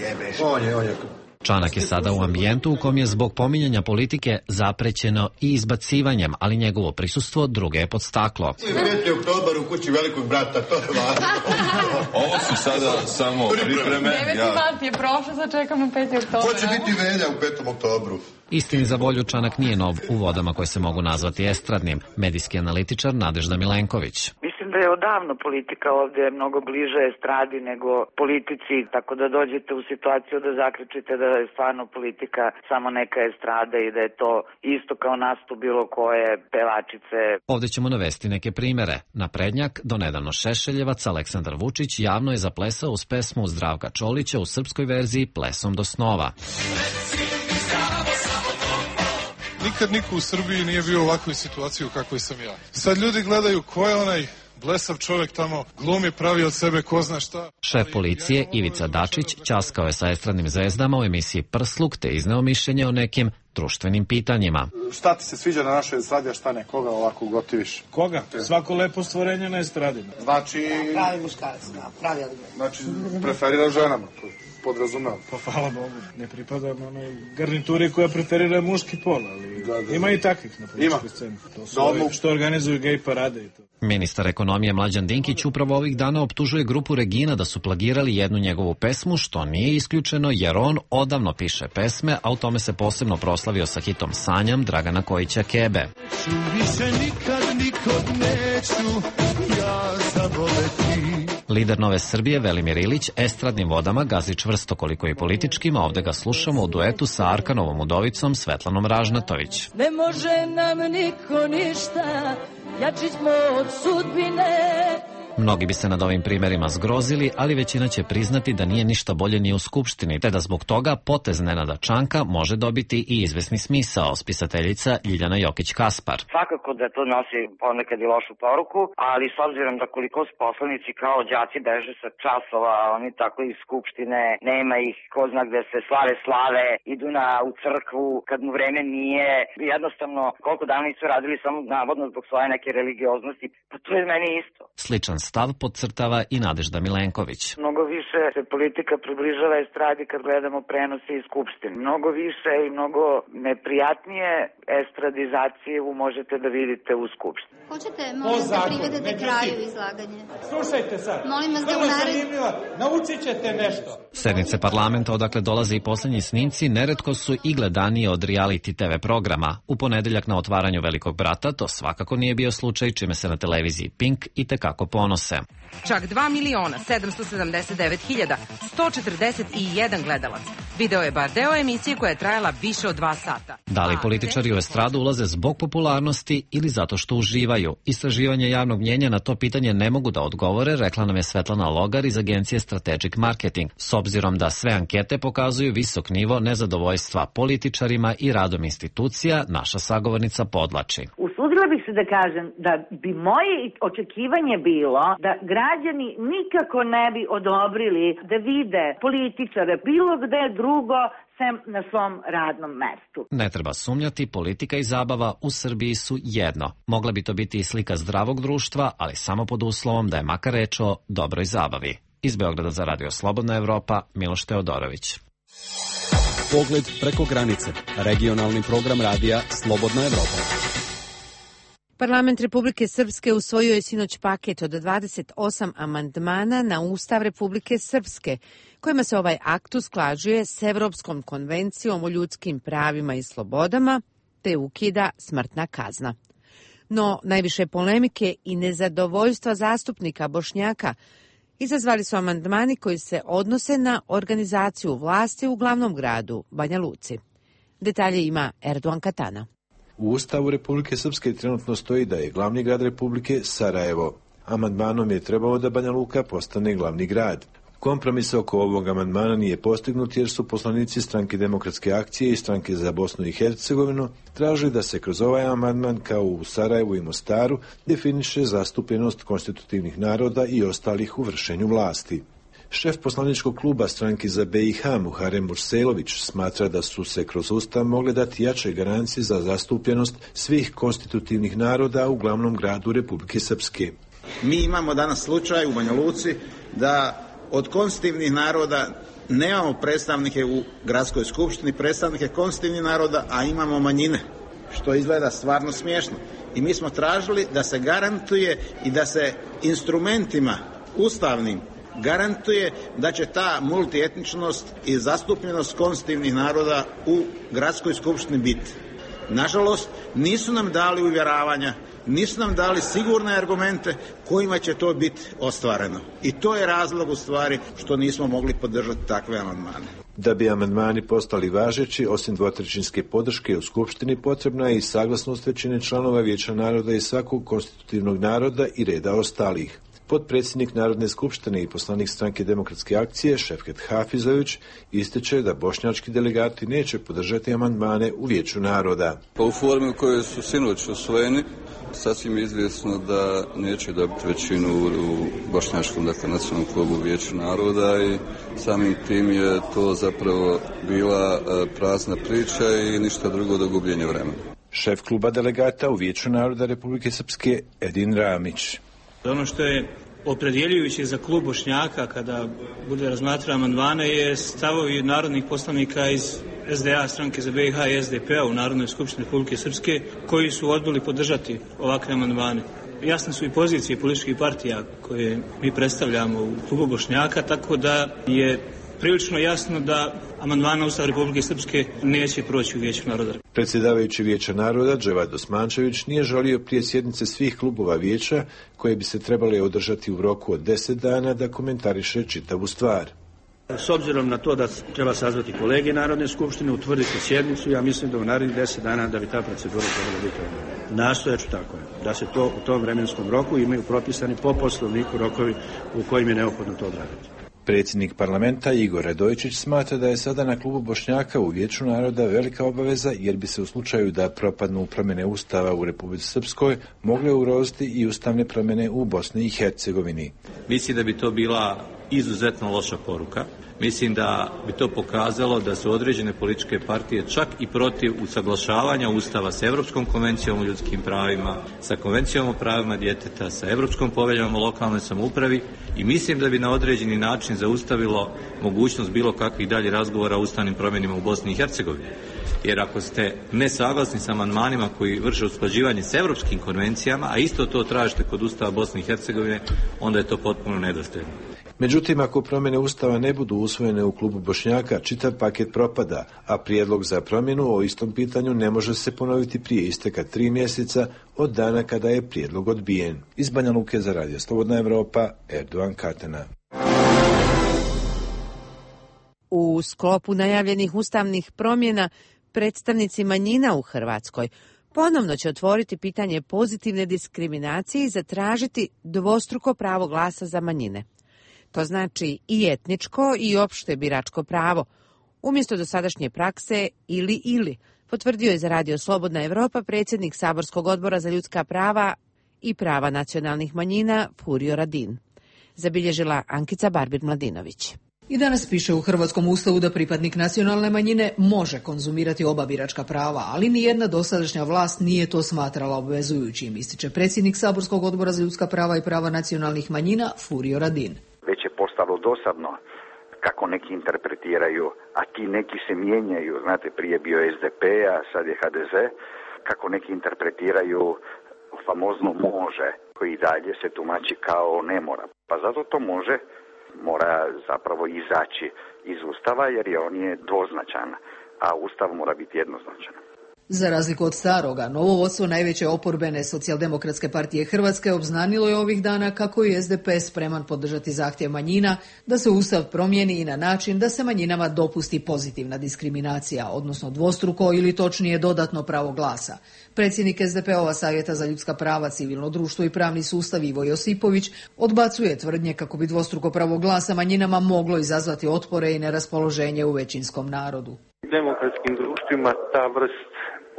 jebeš. On je, on je... Čanak je sada u ambijentu u kom je zbog pominjanja politike zaprećeno i izbacivanjem, ali njegovo prisustvo druge je podstaklo. peti oktobar u kući velikog brata, to je važno. Ovo su sada samo pripreme. deveti mart je prošlo, sad čekamo peti oktobar. Ko će biti Velja u petom oktobru? Istini za volju, Čanak nije nov u vodama koje se mogu nazvati estradnim. Medijski analitičar Nadežda Milenković. Mislim da je odavno politika ovde mnogo bliže estradi nego politici, tako da dođete u situaciju da zaključite da je stvarno politika samo neka estrada i da je to isto kao nastup bilo koje pevačice. Ovde ćemo navesti neke primere. Naprednjak, donedavno Šešeljevac, Aleksandar Vučić javno je zaplesao uz pesmu Zdravka Čolića u srpskoj verziji Plesom do snova. Nikad niko u Srbiji nije bio u ovakvoj situaciji u kakvoj sam ja. Sad ljudi gledaju ko je onaj blesav čovjek tamo, glumi, pravi od sebe ko zna šta. Šef policije Ivica Dačić ćaskao je sa estradnim zvezdama u emisiji Prsluk te izneo mišljenje o nekim društvenim pitanjima. Šta ti se sviđa na našoj estradi, a šta ne? Koga ovako gotiviš? Koga? Svako lepo stvorenje na estradi. Znači... Pravi muškarac, pravi odgovor. Znači, preferira ženama, podrazumevam. Pa hvala Bogu, ne pripadam onoj garnituri koja preferira muški pol, ali da, da, ima i takvih na političkoj sceni. To su ovi što organizuju gej parade i to. Ministar ekonomije Mlađan Dinkić upravo ovih dana optužuje grupu Regina da su plagirali jednu njegovu pesmu, što nije isključeno jer on odavno piše pesme, a u tome se posebno proslavio sa hitom Sanjam Dragana Kojića Kebe. Lider Nove Srbije Velimir Ilić estradnim vodama gazi čvrsto koliko i političkim, a ovde ga slušamo u duetu sa Arkanovom udovicom Svetlanom Ražnatović. Ne može nam niko ništa, jači smo od sudbine. Mnogi bi se nad ovim primerima zgrozili, ali većina će priznati da nije ništa bolje ni u Skupštini, te da zbog toga potez Nenada Čanka može dobiti i izvesni smisao, spisateljica Ljiljana Jokić-Kaspar. Svakako da to nosi ponekad i lošu poruku, ali s obzirom da koliko poslanici kao đaci beže sa časova, oni tako iz Skupštine, nema ih, ko zna gde se slave slave, idu na, u crkvu kad mu vreme nije, jednostavno koliko dana nisu radili samo navodno zbog svoje neke religioznosti, pa to je meni isto. Sličan stav podcrtava i Nadežda Milenković. Mnogo više se politika približava estradi kad gledamo prenose iz Skupštine. Mnogo više i mnogo neprijatnije estradizaciju možete da vidite u Skupštini. Hoćete, molim da privedete kraju izlaganje. Slušajte sad. Molim vas da u nared... Naučit ćete nešto. Sednice parlamenta odakle dolaze i poslednji snimci neretko su i gledanije od reality te ve programa. U ponedeljak na otvaranju Velikog brata to svakako nije bio slučaj, čime se na televiziji Pink i tekako ponose. Čak dva miliona sedamsto sedamdeset devet hiljada sto četrdeset jedan gledalac. Video je bar deo emisije koja je trajala više od dva sata. Da li političari u estradu ulaze zbog popularnosti ili zato što uživaju? Istraživanje javnog mnjenja na to pitanje ne mogu da odgovore, rekla nam je Svetlana Logar iz agencije Strategic Marketing. S obzirom da sve ankete pokazuju visok nivo nezadovoljstva političarima i radom institucija, naša sagovornica podlači. Usudila bih se da kažem da bi moje očekivanje bilo da građani nikako ne bi odobrili da vide političare bilo gde drugo sem na svom radnom mestu. Ne treba sumnjati, politika i zabava u Srbiji su jedno. Mogla bi to biti i slika zdravog društva, ali samo pod uslovom da je makar reč o dobroj zabavi. Iz Beograda za Radio Slobodna Evropa, Miloš Teodorović. Pogled preko granice. Regionalni program radija Slobodna Evropa. Parlament Republike Srpske usvojio je sinoć paket od dvadeset osam amandmana na Ustav Republike Srpske, kojima se ovaj akt usklađuje s Evropskom konvencijom o ljudskim pravima i slobodama, te ukida smrtna kazna. No, najviše polemike i nezadovoljstva zastupnika Bošnjaka izazvali su amandmani koji se odnose na organizaciju vlasti u glavnom gradu, Banja Luci. Detalje ima Erdogan Katana. U Ustavu Republike Srpske trenutno stoji da je glavni grad Republike Sarajevo. Amandmanom je trebalo da Banja Luka postane glavni grad. Kompromis oko ovog amandmana nije postignut jer su poslanici Stranke demokratske akcije i Stranke za Bosnu i Hercegovinu tražili da se kroz ovaj amandman kao u Sarajevu i Mostaru definiše zastupljenost konstitutivnih naroda i ostalih u vršenju vlasti. Šef poslaničkog kluba Stranke za be i ha Muharem Burselović smatra da su se kroz Ustav mogle dati jače garancije za zastupljenost svih konstitutivnih naroda u glavnom gradu Republike Srpske. Mi imamo danas slučaj u Banja Luci da od konstitutivnih naroda nemamo predstavnike u gradskoj skupštini, predstavnike konstitutivnih naroda, a imamo manjine, što izgleda stvarno smiješno. I mi smo tražili da se garantuje i da se instrumentima ustavnim garantuje da će ta multietničnost i zastupljenost konstitutivnih naroda u gradskoj skupštini biti. Nažalost, nisu nam dali uvjeravanja nisu nam dali sigurne argumente kojima će to biti ostvareno. I to je razlog u stvari što nismo mogli podržati takve amandmane. Da bi amandmani postali važeći, osim dvotrećinske podrške u Skupštini, potrebna je i saglasnost većine članova Vijeća naroda i svakog konstitutivnog naroda i reda ostalih. Potpredsjednik Narodne skupštine i poslanik Stranke demokratske akcije Šefket Hafizović ističe da bošnjački delegati neće podržati amandmane u Vijeću naroda. Pa u formi u kojoj su sinoć usvojeni, sasvim je izvjesno da neće dobiti većinu u bošnjačkom, dakle, nacionalnom klubu Vijeću naroda i samim tim je to zapravo bila prazna priča i ništa drugo do gubljenja vremena. Šef kluba delegata u Vijeću naroda Republike Srpske Edin Ramić. Ono što je opredjeljujuće za klub Bošnjaka kada bude razmatrao amandmane je stavovi narodnih poslanika iz S D A, Stranke za B i H i S D P-a u Narodnoj skupštini Republike Srpske, koji su odbili podržati ovakve amandmane. Jasne su i pozicije političkih partija koje mi predstavljamo u klubu Bošnjaka, tako da je prilično jasno da amandman na Ustav Republike Srpske neće proći u Vijeću naroda. Predsjedavajući Vijeća naroda Dževad Osmančević nije želio prije sjednice svih klubova vijeća, koje bi se trebale održati u roku od deset dana, da komentariše čitavu stvar. S obzirom na to da treba sazvati kolege Narodne skupštine, utvrditi sjednicu, ja mislim da u narednih deset dana da bi ta procedura trebala biti odmah. Nastojaću tako je, da se to u tom vremenskom roku imaju propisani po poslovniku rokovi u kojim je neophodno to odraditi. Predsjednik parlamenta Igor Radojčić smatra da je sada na klubu Bošnjaka u Vijeću naroda velika obaveza, jer bi se u slučaju da propadnu promjene Ustava u Republici Srpskoj mogle ugroziti i ustavne promjene u Bosni i Hercegovini. Mislim da bi to bila izuzetno loša poruka. Mislim da bi to pokazalo da su određene političke partije čak i protiv usaglašavanja Ustava sa Europskom konvencijom o ljudskim pravima, sa Konvencijom o pravima djeteta, sa Europskom poveljom o lokalnoj samoupravi i mislim da bi na određeni način zaustavilo mogućnost bilo kakvih dalje razgovora o ustavnim promjenama u Bosni i Hercegovini. Jer ako ste nesaglasni sa amandmanima koji vrše usklađivanje s europskim konvencijama, a isto to tražite kod Ustava Bosne i Hercegovine, onda je to potpuno nedosljedno. Međutim, ako promjene Ustava ne budu usvojene u klubu Bošnjaka, čitav paket propada, a prijedlog za promjenu o istom pitanju ne može se ponoviti prije isteka tri mjeseca od dana kada je prijedlog odbijen. Iz Banja Luke za Radio Slobodna Evropa, Erdogan Katena. U sklopu najavljenih ustavnih promjena, predstavnici manjina u Hrvatskoj ponovno će otvoriti pitanje pozitivne diskriminacije i zatražiti dvostruko pravo glasa za manjine. To znači i etničko i opšte biračko pravo, umjesto dosadašnje prakse ili ili, potvrdio je za Radio Slobodna Evropa predsjednik Saborskog odbora za ljudska prava i prava nacionalnih manjina Furio Radin. Zabilježila Ankica Barbir-Mladinović. I danas piše u Hrvatskom ustavu da pripadnik nacionalne manjine može konzumirati oba biračka prava, ali nijedna dosadašnja vlast nije to smatrala obvezujućim, ističe predsjednik Saborskog odbora za ljudska prava i prava nacionalnih manjina Furio Radin. Već je postalo dosadno kako neki interpretiraju, a ti neki se mijenjaju, znate, prije bio S D P, a sad je H D Z, kako neki interpretiraju famozno može, koji dalje se tumači kao ne mora. Pa zato to može, mora zapravo izaći iz Ustava, jer je on je dvoznačan, a Ustav mora biti jednoznačan. Za razliku od staroga, novo vodstvo najveće oporbene Socijaldemokratske partije Hrvatske obznanilo je ovih dana kako je S D P spreman podržati zahtjev manjina da se Ustav promijeni i na način da se manjinama dopusti pozitivna diskriminacija, odnosno dvostruko ili točnije dodatno pravo glasa. Predsjednik S D P-ova Savjeta za ljudska prava, civilno društvo i pravni sustav Ivo Josipović odbacuje tvrdnje kako bi dvostruko pravo glasa manjinama moglo izazvati otpore i neraspoloženje u većinskom narodu. U demokratskim društvima ta vrst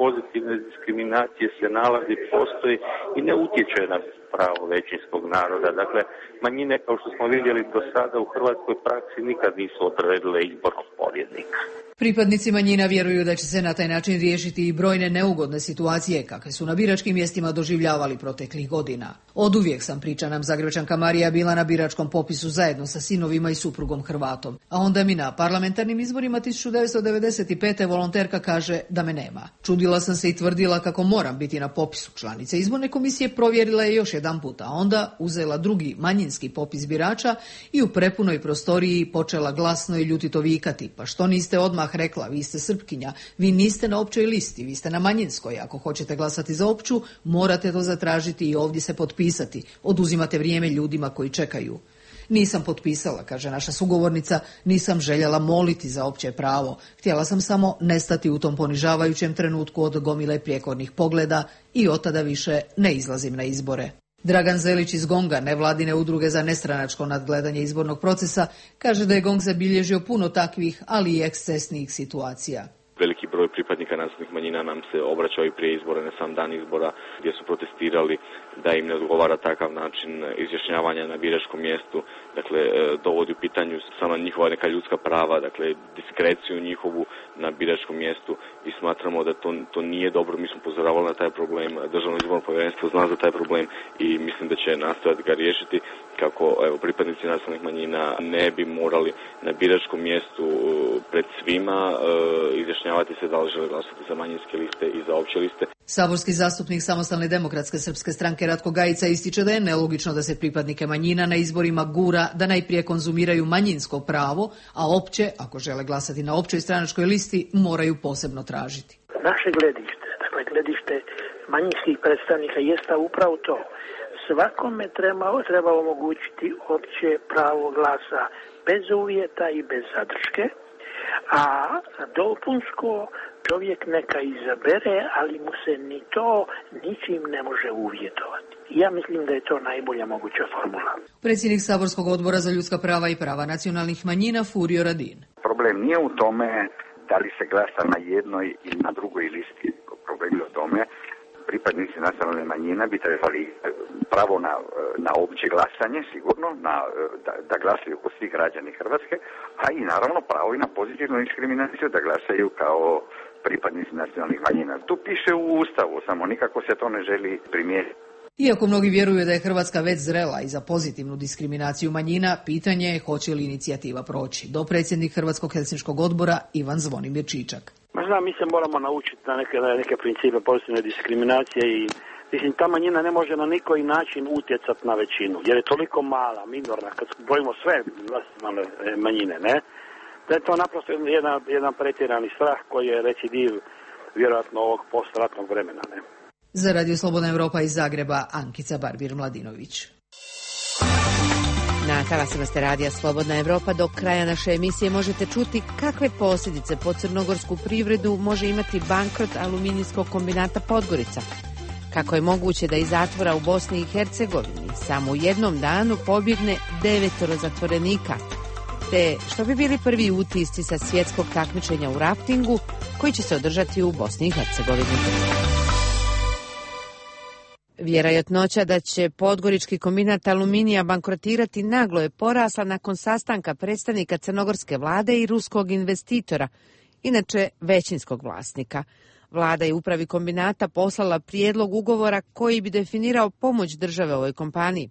pozitivne diskriminacije se nalazi, postoji i ne utječe na pravo većinskog naroda. Dakle, manjine, kao što smo vidjeli do sada u hrvatskoj praksi, nikad nisu odredile izbornog pobjednika. Pripadnici manjina vjeruju da će se na taj način riješiti i brojne neugodne situacije kakve su na biračkim mjestima doživljavali proteklih godina. Oduvijek sam, priča nam Zagrebačanka Marija, bila na biračkom popisu zajedno sa sinovima i suprugom Hrvatom. A onda mi na parlamentarnim izborima tisuću devetsto devedeset pete volonterka kaže da me nema. Čudila sam se i tvrdila kako moram biti na popisu. Članice izborne komisije provjerila je još jedanput, a onda uzela drugi manjinski popis birača i u prepunoj prostoriji počela glasno i ljutito vikati. Pa što niste odmah rekla, vi ste Srpkinja, vi niste na općoj listi, vi ste na manjinskoj. Ako hoćete glasati za opću, morate to zatražiti i ovdje se potpisati. Oduzimate vrijeme ljudima koji čekaju. Nisam potpisala, kaže naša sugovornica, nisam željela moliti za opće pravo. Htjela sam samo nestati u tom ponižavajućem trenutku od gomile prijekornih pogleda i od tada više ne izlazim na izbore. Dragan Zelić iz Gonga, nevladine udruge za nestranačko nadgledanje izbornog procesa, kaže da je Gong zabilježio puno takvih, ali i ekscesnijih situacija. Veliki broj pripadnika nacionalnih manjina nam se obraćao i prije izbora, ne sam dan izbora, gdje su protestirali da im ne odgovara takav način izjašnjavanja na biračkom mjestu. Dakle, dovodi u pitanju sama njihova neka ljudska prava, dakle, diskreciju njihovu na biračkom mjestu i smatramo da to, to nije dobro. Mi smo upozoravali na taj problem, Državno izborno povjerenstvo zna za taj problem i mislim da će nastojati ga riješiti kako evo, pripadnici nacionalnih manjina ne bi morali na biračkom mjestu pred svima e, izjašnjavati se da li žele glasati za manjinske liste i za opće liste. Saborski zastupnik Samostalne demokratske srpske stranke Ratko Gajica ističe da je nelogično da se pripadnike manjina na izborima gura da najprije konzumiraju manjinsko pravo, a opće, ako žele glasati na općoj stranačkoj listi, moraju posebno tražiti. Naše gledište, dakle gledište manjinskih predstavnika jeste upravo to. Svakome treba, treba omogućiti opće pravo glasa bez uvjeta i bez zadrške, a dopunsko čovjek neka izabere, ali mu se ni to ničim ne može uvjetovati. Ja mislim da je to najbolja moguća formula. Predsjednik Saborskog odbora za ljudska prava i prava nacionalnih manjina Furio Radin. Problem nije u tome da li se glasa na jednoj ili na drugoj listi. Problem je u tome pripadnici nacionalne manjina bi trebali pravo na, na opće glasanje, sigurno, na, da, da glasaju kod svih građani Hrvatske, a i naravno pravo i na pozitivnu diskriminaciju da glasaju kao pripadnici nacionalnih manjina. Tu piše u Ustavu, samo nikako se to ne želi primijeniti. Iako mnogi vjeruju da je Hrvatska već zrela i za pozitivnu diskriminaciju manjina, pitanje je hoće li inicijativa proći. Dopredsjednik Hrvatskog helsinškog odbora Ivan Zvonimir Čičak. Ma znam, mi se moramo naučiti na neke, na neke principe pozitivne diskriminacije i mislim, ta manjina ne može na nikoji način utjecati na većinu, jer je toliko mala, minorna, kad brojimo sve manjine, ne? Da je to naprosto jedan, jedan pretjerani strah koji je recidiv vjerojatno ovog postratnog vremena, ne? Za Radio Slobodna Evropa iz Zagreba, Ankica Barbir-Mladinović. Na talasima ste Radija Slobodna Evropa. Do kraja naše emisije možete čuti kakve posljedice po crnogorsku privredu može imati bankrot aluminijskog kombinata Podgorica. Kako je moguće da iz zatvora u Bosni i Hercegovini samo u jednom danu pobjegne devetoro zatvorenika, te što bi bili prvi utisci sa svjetskog takmičenja u raftingu koji će se održati u Bosni i Hercegovini. Vjerojatnoća da će podgorički kombinat aluminija bankrotirati naglo je porasla nakon sastanka predstavnika crnogorske vlade i ruskog investitora, inače većinskog vlasnika. Vlada je upravi kombinata poslala prijedlog ugovora koji bi definirao pomoć države ovoj kompaniji.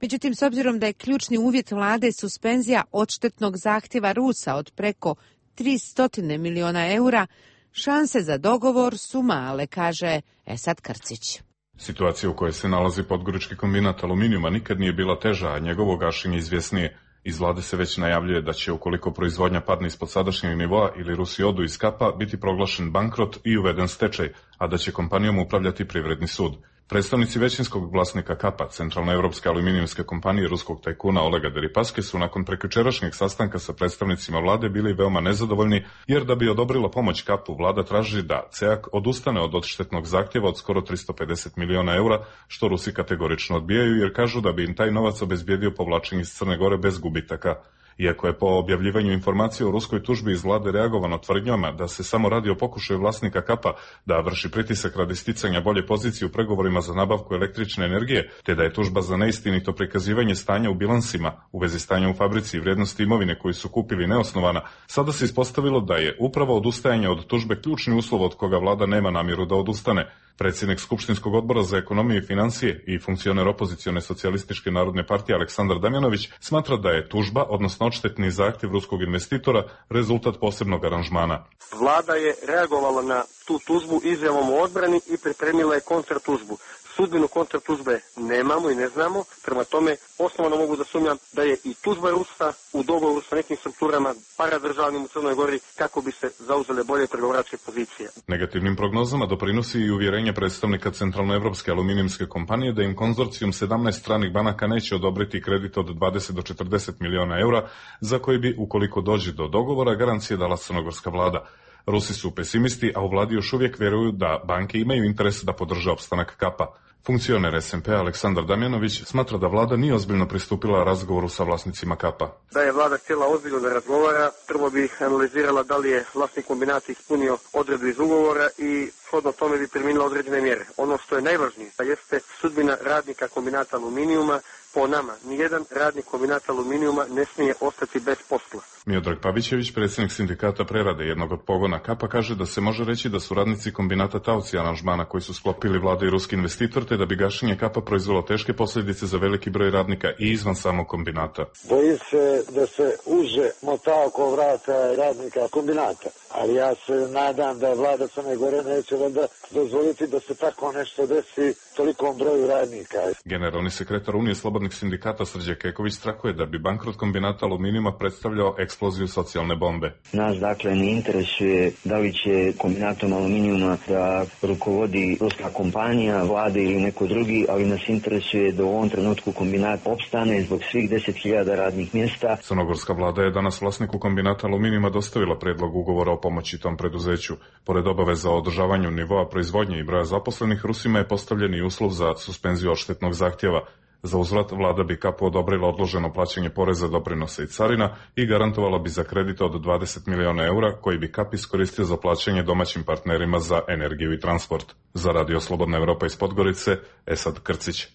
Međutim, s obzirom da je ključni uvjet vlade suspenzija odštetnog zahtjeva Rusa od preko tristo miliona eura, šanse za dogovor su male, kaže Esad Krcić. Situacija u kojoj se nalazi podgorički kombinat aluminijuma nikad nije bila teža, a njegovo gašenje izvjesnije. Iz vlade se već najavljuje da će, ukoliko proizvodnja padne ispod sadašnjeg nivoa ili Rusi odu iz kapa, biti proglašen bankrot i uveden stečaj, a da će kompanijom upravljati privredni sud. Predstavnici većinskog vlasnika kapa, Centralne evropske aluminijumske kompanije ruskog tajkuna Olega Deripaske, su nakon prekjučerašnjeg sastanka sa predstavnicima vlade bili veoma nezadovoljni, jer da bi odobrila pomoć kapu, vlada traži da C E A K odustane od odštetnog zahtjeva od skoro tristo pedeset miliona eura, što Rusi kategorično odbijaju, jer kažu da bi im taj novac obezbijedio povlačenje iz Crne Gore bez gubitaka. Iako je po objavljivanju informacije o ruskoj tužbi iz vlade reagovano tvrdnjama da se samo radi o pokušaju vlasnika kapa da vrši pritisak radi sticanja bolje pozicije u pregovorima za nabavku električne energije, te da je tužba za neistinito prikazivanje stanja u bilansima u vezi stanja u fabrici i vrijednosti imovine koju su kupili neosnovana, sada se ispostavilo da je upravo odustajanje od tužbe ključni uslov od koga vlada nema namjeru da odustane. Predsjednik Skupštinskog odbora za ekonomiju i financije i funkcioner opozicione socijalističke narodne partije Aleksandar Damjanović smatra da je tužba, odnosno odštetni zahtjev ruskog investitora, rezultat posebnog aranžmana. Vlada je reagovala na tu tužbu izjavom o odbrani i pripremila je kontratužbu. Sudbinu kontratužbe nemamo i ne znamo, prema tome osnovno mogu da sumnjam da je i tužba Rusa u dogovoru sa nekim strukturama paradržavnim u Crnoj Gori kako bi se zauzele bolje pregovaračke pozicije. Negativnim prognozama doprinosi i uvjerenje predstavnika Centralnoevropske aluminijumske kompanije da im konzorcijum sedamnaest stranih banaka neće odobriti kredit od dvadeset do četrdeset miliona eura, za koji bi, ukoliko dođe do dogovora, garancije dala crnogorska vlada. Rusi su pesimisti, a u vladi još uvijek vjeruju da banke imaju interes da podrže opstanak Kapa. Funkcioner es en pe Aleksandar Damjanović smatra da vlada nije ozbiljno pristupila razgovoru sa vlasnicima Kapa. Da je vlada htjela ozbiljno da razgovara, prvo bi analizirala da li je vlasnik kombinata ispunio odredbu iz ugovora i shodno tome bi primjenila određene mjere. Ono što je najvažnije jeste sudbina radnika kombinata aluminijuma. Po nama, nijedan radnik kombinata aluminijuma ne smije ostati bez posla. Miodrag Pavićević, predsjednik sindikata prerade jednog od pogona Kapa, kaže da se može reći da su radnici kombinata taoci aranžmana koji su sklopili vlada i ruski investitor, te da bi gašenje Kapa proizvelo teške posljedice za veliki broj radnika i izvan samog kombinata. Boji se da se uže mota oko vrata radnika kombinata, ali ja se nadam da vlada Crne Gore neće valjda dozvoliti da se tako nešto desi tolikom broju radnika. Generalni sekretar Unije slobodnih sindikata Srđe Keković strahuje da bi bankrot kombinata aluminijuma predstavljao eksploziju socijalne bombe. Nas dakle ne interesuje da li će kombinatom aluminijuma da rukovodi ruska kompanija, vlade ili neko drugi, ali nas interesuje da u ovom trenutku kombinat opstane zbog svih deset hiljada radnih mjesta. Crnogorska vlada je danas vlasniku kombinata aluminijuma dostavila predlog ugovora o pomoći tom preduzeću. Pored obaveza o održavanju nivoa proizvodnje i broja zaposlenih, Rusima je postavljen i uslov za suspenziju odštetnog zahtjeva. Za uzvrat vlada bi Kapu odobrila odloženo plaćanje poreza, doprinosa i carina i garantovala bi za kredit od dvadeset miliona eura koji bi Kap iskoristio za plaćanje domaćim partnerima za energiju i transport. Za Radio Slobodna Evropa iz Podgorice, Esad Krcić.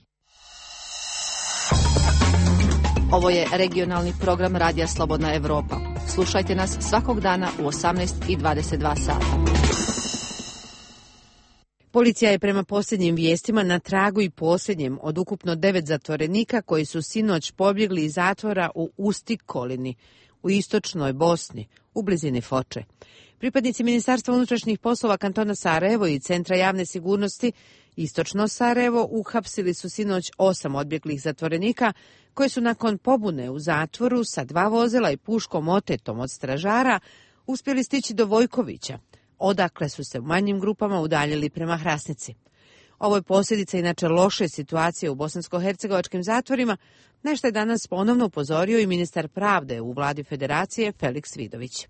Ovo je regionalni program Radija Slobodna Evropa. Slušajte nas svakog dana u osamnaest i dvadeset dva sata. Policija je prema posljednjim vijestima na tragu i posljednjem od ukupno devet zatvorenika koji su sinoć pobjegli iz zatvora u Ustikolini, u istočnoj Bosni, u blizini Foče. Pripadnici Ministarstva unutrašnjih poslova kantona Sarajevo i Centra javne sigurnosti Istočno Sarajevo uhapsili su sinoć osam odbjeglih zatvorenika koji su nakon pobune u zatvoru sa dva vozila i puškom otetom od stražara uspjeli stići do Vojkovića, odakle su se u manjim grupama udaljili prema Hrasnici. Ovo je posljedica inače loše situacije u bosansko-hercegovačkim zatvorima, nešto je danas ponovno upozorio i ministar pravde u vladi Federacije Feliks Vidović.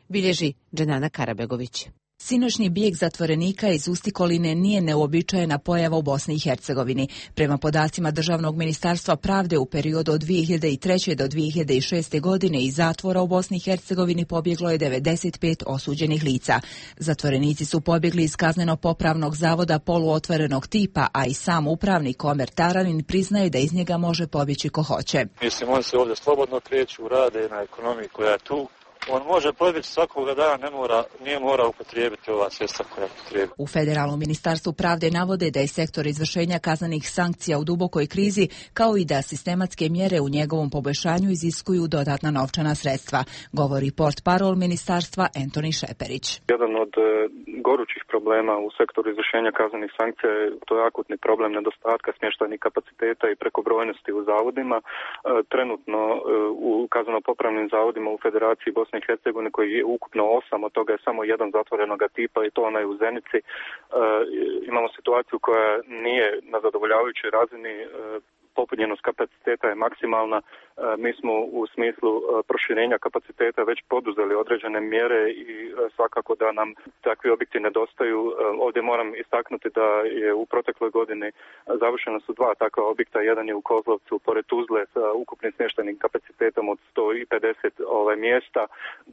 Bilježi Dženana Karabegović. Sinoćni bijeg zatvorenika iz Ustikoline nije neuobičajena pojava u Bosni i Hercegovini. Prema podacima Državnog ministarstva pravde u periodu od dvije hiljade treće. do dvije hiljade šeste. godine iz zatvora u Bosni i Hercegovini pobjeglo je devedeset pet osuđenih lica. Zatvorenici su pobjegli iz kazneno-popravnog zavoda poluotvorenog tipa, a i sam upravnik Omer Taranin priznaje da iz njega može pobjeći ko hoće. Mislim, on se ovdje slobodno kreću, rade na ekonomiji koja je tu. On može pobjeći svakoga dana, ne mora, nije mora upotrijebiti ova sredstva koja upotrijebiti. U Federalnom ministarstvu pravde navode da je sektor izvršenja kaznenih sankcija u dubokoj krizi, kao i da sistematske mjere u njegovom poboljšanju iziskuju dodatna novčana sredstva, govori portparol ministarstva Antoni Šeperić. Jedan od e, gorućih problema u sektoru izvršenja kaznenih sankcija je to je akutni problem nedostatka smještajnih kapaciteta i prekobrojnosti u zavodima. E, trenutno e, u kazneno-popravnim zavodima u Federaciji Bosne i Hercegovine, koji je ukupno osam, od toga je samo jedan zatvorenoga tipa i to onaj u Zenici. E, imamo situaciju koja nije na zadovoljavajućoj razini, e, popunjenost kapaciteta je maksimalna. E, mi smo u smislu e, proširenja kapaciteta već poduzeli određene mjere i e, svakako da nam takvi objekti nedostaju. E, ovdje moram istaknuti da je u protekloj godini završena su dva takva objekta. Jedan je u Kozlovcu pored Tuzle sa ukupnim smještajnim kapacitetom od sto pedeset ovaj, mjesta.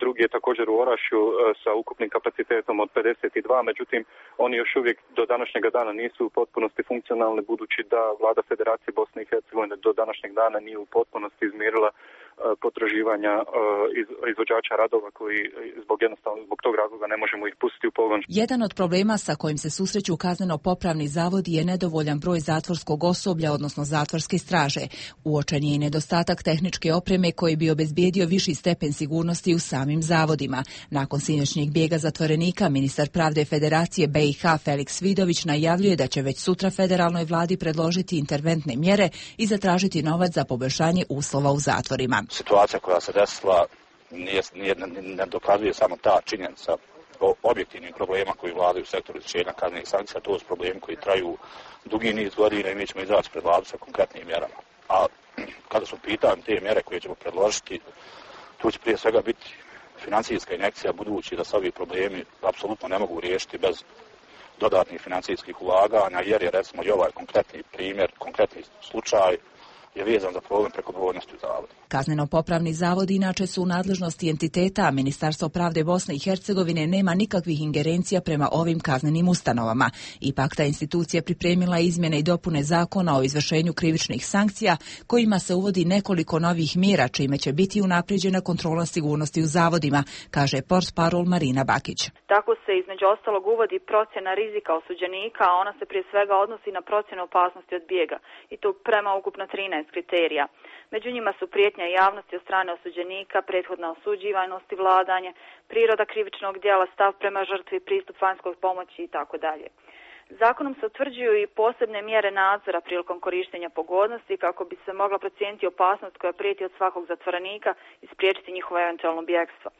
Drugi je također u Orašju e, sa ukupnim kapacitetom od pedeset dva. Međutim, oni još uvijek do današnjega dana nisu u potpunosti funkcionalni, budući da vlada Federacije Bosne i Hercegovine do današnjeg dana nije u potpunosti izmirila potraživanja izvođača radova koji zbog jednostavno zbog tog razloga ne možemo ih pustiti u pogon. Jedan od problema sa kojim se susreću kazneno-popravni zavodi je nedovoljan broj zatvorskog osoblja, odnosno zatvorske straže. Uočen je i nedostatak tehničke opreme koji bi obezbijedio viši stepen sigurnosti u samim zavodima. Nakon sinoćnjeg bijega zatvorenika, ministar pravde Federacije B i H Feliks Vidović najavljuje da će već sutra federalnoj vladi predložiti interventne mjere i zatražiti novac za poboljšanje uslova u zatvorima. Situacija koja se desila nije, nije, ne dokazuje samo ta činjenica o objektivnim problema koji vladaju u sektoru izvršenja kaznenih sankcija, to su problemi koji traju dugi niz godina i mi ćemo izaći pred vladu sa konkretnim mjerama. A kada su pitanje te mjere koje ćemo predložiti, tu će prije svega biti financijska injekcija, budući da se ovi problemi apsolutno ne mogu riješiti bez dodatnih financijskih ulaganja, jer je recimo i ovaj konkretni primjer, konkretni slučaj je vezan za problem prekobrojnosti u zavodu. Kazneno-popravni zavodi inače su u nadležnosti entiteta, a Ministarstvo pravde Bosne i Hercegovine nema nikakvih ingerencija prema ovim kaznenim ustanovama. Ipak ta institucija pripremila izmjene i dopune zakona o izvršenju krivičnih sankcija, kojima se uvodi nekoliko novih mjera, čime će biti unaprijeđena kontrola sigurnosti u zavodima, kaže portparol Marina Bakić. Tako se između ostalog uvodi procjena rizika osuđenika, a ona se prije svega odnosi na procjenu opasnosti od bijega, i to prema ukupno trinaest kriterija. Među njima su prijetnja javnosti od strane osuđenika, prethodna osuđivanost i vladanje, priroda krivičnog djela, stav prema žrtvi, pristup vanjskoj pomoći i tako dalje. Zakonom se utvrđuju i posebne mjere nadzora prilikom korištenja pogodnosti kako bi se mogla procijeniti opasnost koja prijeti od svakog zatvorenika i spriječiti njihovo eventualno bjegstvo.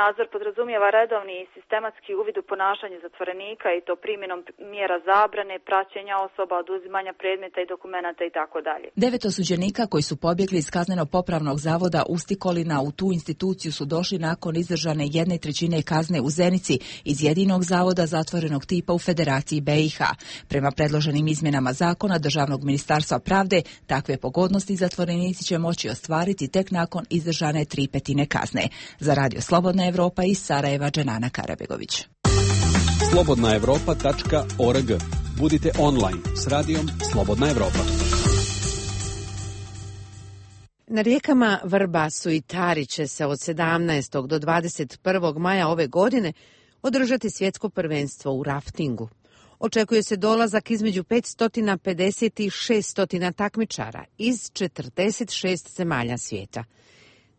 Nadzor podrazumijeva redovni i sistematski uvid u ponašanje zatvorenika i to primjenom mjera zabrane, praćenja osoba, oduzimanja predmeta i dokumenata i tako dalje. Devet osuđenika koji su pobjegli iz kazneno-popravnog zavoda Ustikolina u tu instituciju su došli nakon izdržane jedne trećine kazne u Zenici iz jedinog zavoda zatvorenog tipa u Federaciji B i H. Prema predloženim izmjenama zakona Državnog ministarstva pravde, takve pogodnosti zatvorenici će moći ostvariti tek nakon izdržane tri petine kazne. Za Radio Slobodna Evropa iz Sarajeva, Dženana Karabegović. slobodna evropa tačka org. Budite online s radijom Slobodna Evropa. Na rijekama Vrbasu i Tari će se od sedamnaestog do dvadeset prvog maja ove godine održati svjetsko prvenstvo u raftingu. Očekuje se dolazak između petsto pedeset i šesto takmičara iz četrdeset šest zemalja svijeta.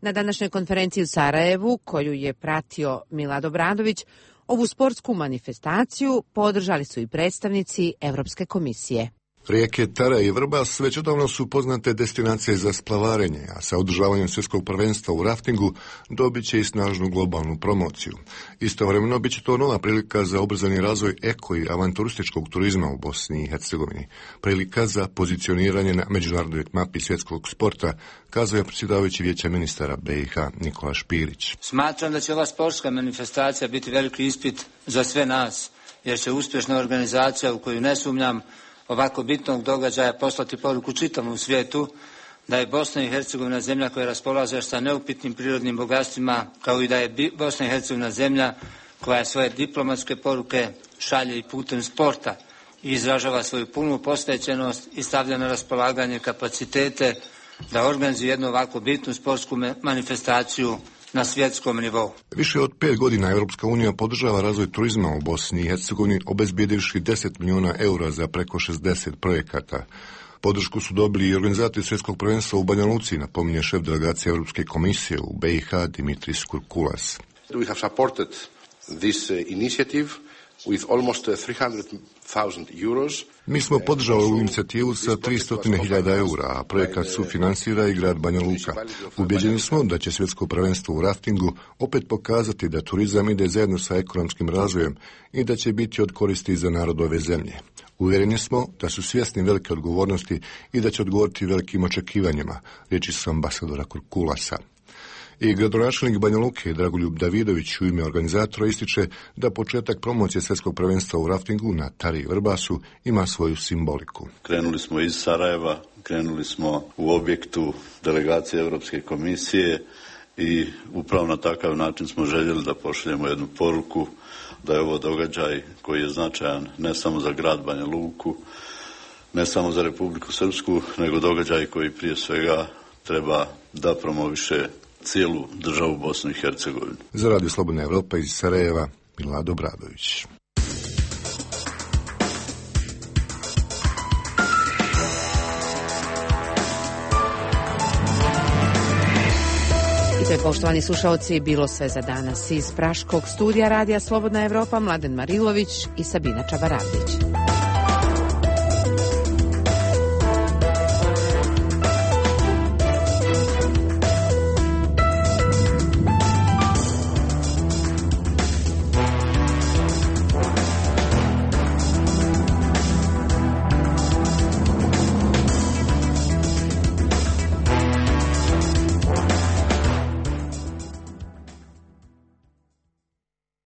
Na današnjoj konferenciji u Sarajevu, koju je pratio Milad Obradović, ovu sportsku manifestaciju podržali su i predstavnici Europske komisije. Rijeke Tara i Vrbas već odavno su poznate destinacije za splavarenje, a sa održavanjem svjetskog prvenstva u raftingu dobit će i snažnu globalnu promociju. Istovremeno bit će to nova prilika za ubrzani razvoj eko i avanturističkog turizma u Bosni i Hercegovini. Prilika za pozicioniranje na međunarodnoj mapi svjetskog sporta, kazao je predsjedavajući Vijeća ministara B i H Nikola Špirić. Smatram da će ova sportska manifestacija biti veliki ispit za sve nas, jer će uspješna organizacija u koju ne sumnjam ovako bitnog događaja poslati poruku čitavom svijetu da je Bosna i Hercegovina zemlja koja raspolaže sa neupitnim prirodnim bogatstvima, kao i da je Bosna i Hercegovina zemlja koja svoje diplomatske poruke šalje i putem sporta i izražava svoju punu posvećenost i stavlja na raspolaganje kapacitete da organizuje jednu ovako bitnu sportsku manifestaciju na svjetskom nivou. Više od pet godina Europska unija podržava razvoj turizma u Bosni i Hercegovini, obezbijedivši deset milijuna eura za preko šezdeset projekata. Podršku su dobili i organizatori svjetskog prvenstva u Banja Luci, napominje šef delegacije Europske komisije u B i H Dimitris Kurkulas. We have supported this initiative with almost three hundred thousand euros. Mi smo podržali ovu inicijativu sa tristo hiljada eura, a projekat sufinansira i grad Banja Luka. Ubjeđeni smo da će svjetsko prvenstvo u raftingu opet pokazati da turizam ide zajedno sa ekonomskim razvojem i da će biti od koristi za narod ove zemlje. Uvjereni smo da su svjesni velike odgovornosti i da će odgovoriti velikim očekivanjima, riječi su ambasadora Kurkulasa. I gradonačelnik Banja Luke Dragoljub Davidović u ime organizatora ističe da početak promocije svjetskog prvenstva u raftingu na Tari i Vrbasu ima svoju simboliku. Krenuli smo iz Sarajeva, krenuli smo u objektu delegacije Europske komisije i upravo na takav način smo željeli da pošaljemo jednu poruku da je ovo događaj koji je značajan ne samo za grad Banja Luku, ne samo za Republiku Srpsku, nego događaj koji prije svega treba da promoviše cijelu državu Bosnu i Hercegovinu. Za Radio Slobodna Evropa iz Sarajeva, Milado Bradović. I to je, poštovani slušalci, bilo sve za danas. Iz Praškog studija Radija Slobodna Evropa Mladen Marilović i Sabina Čabaradić.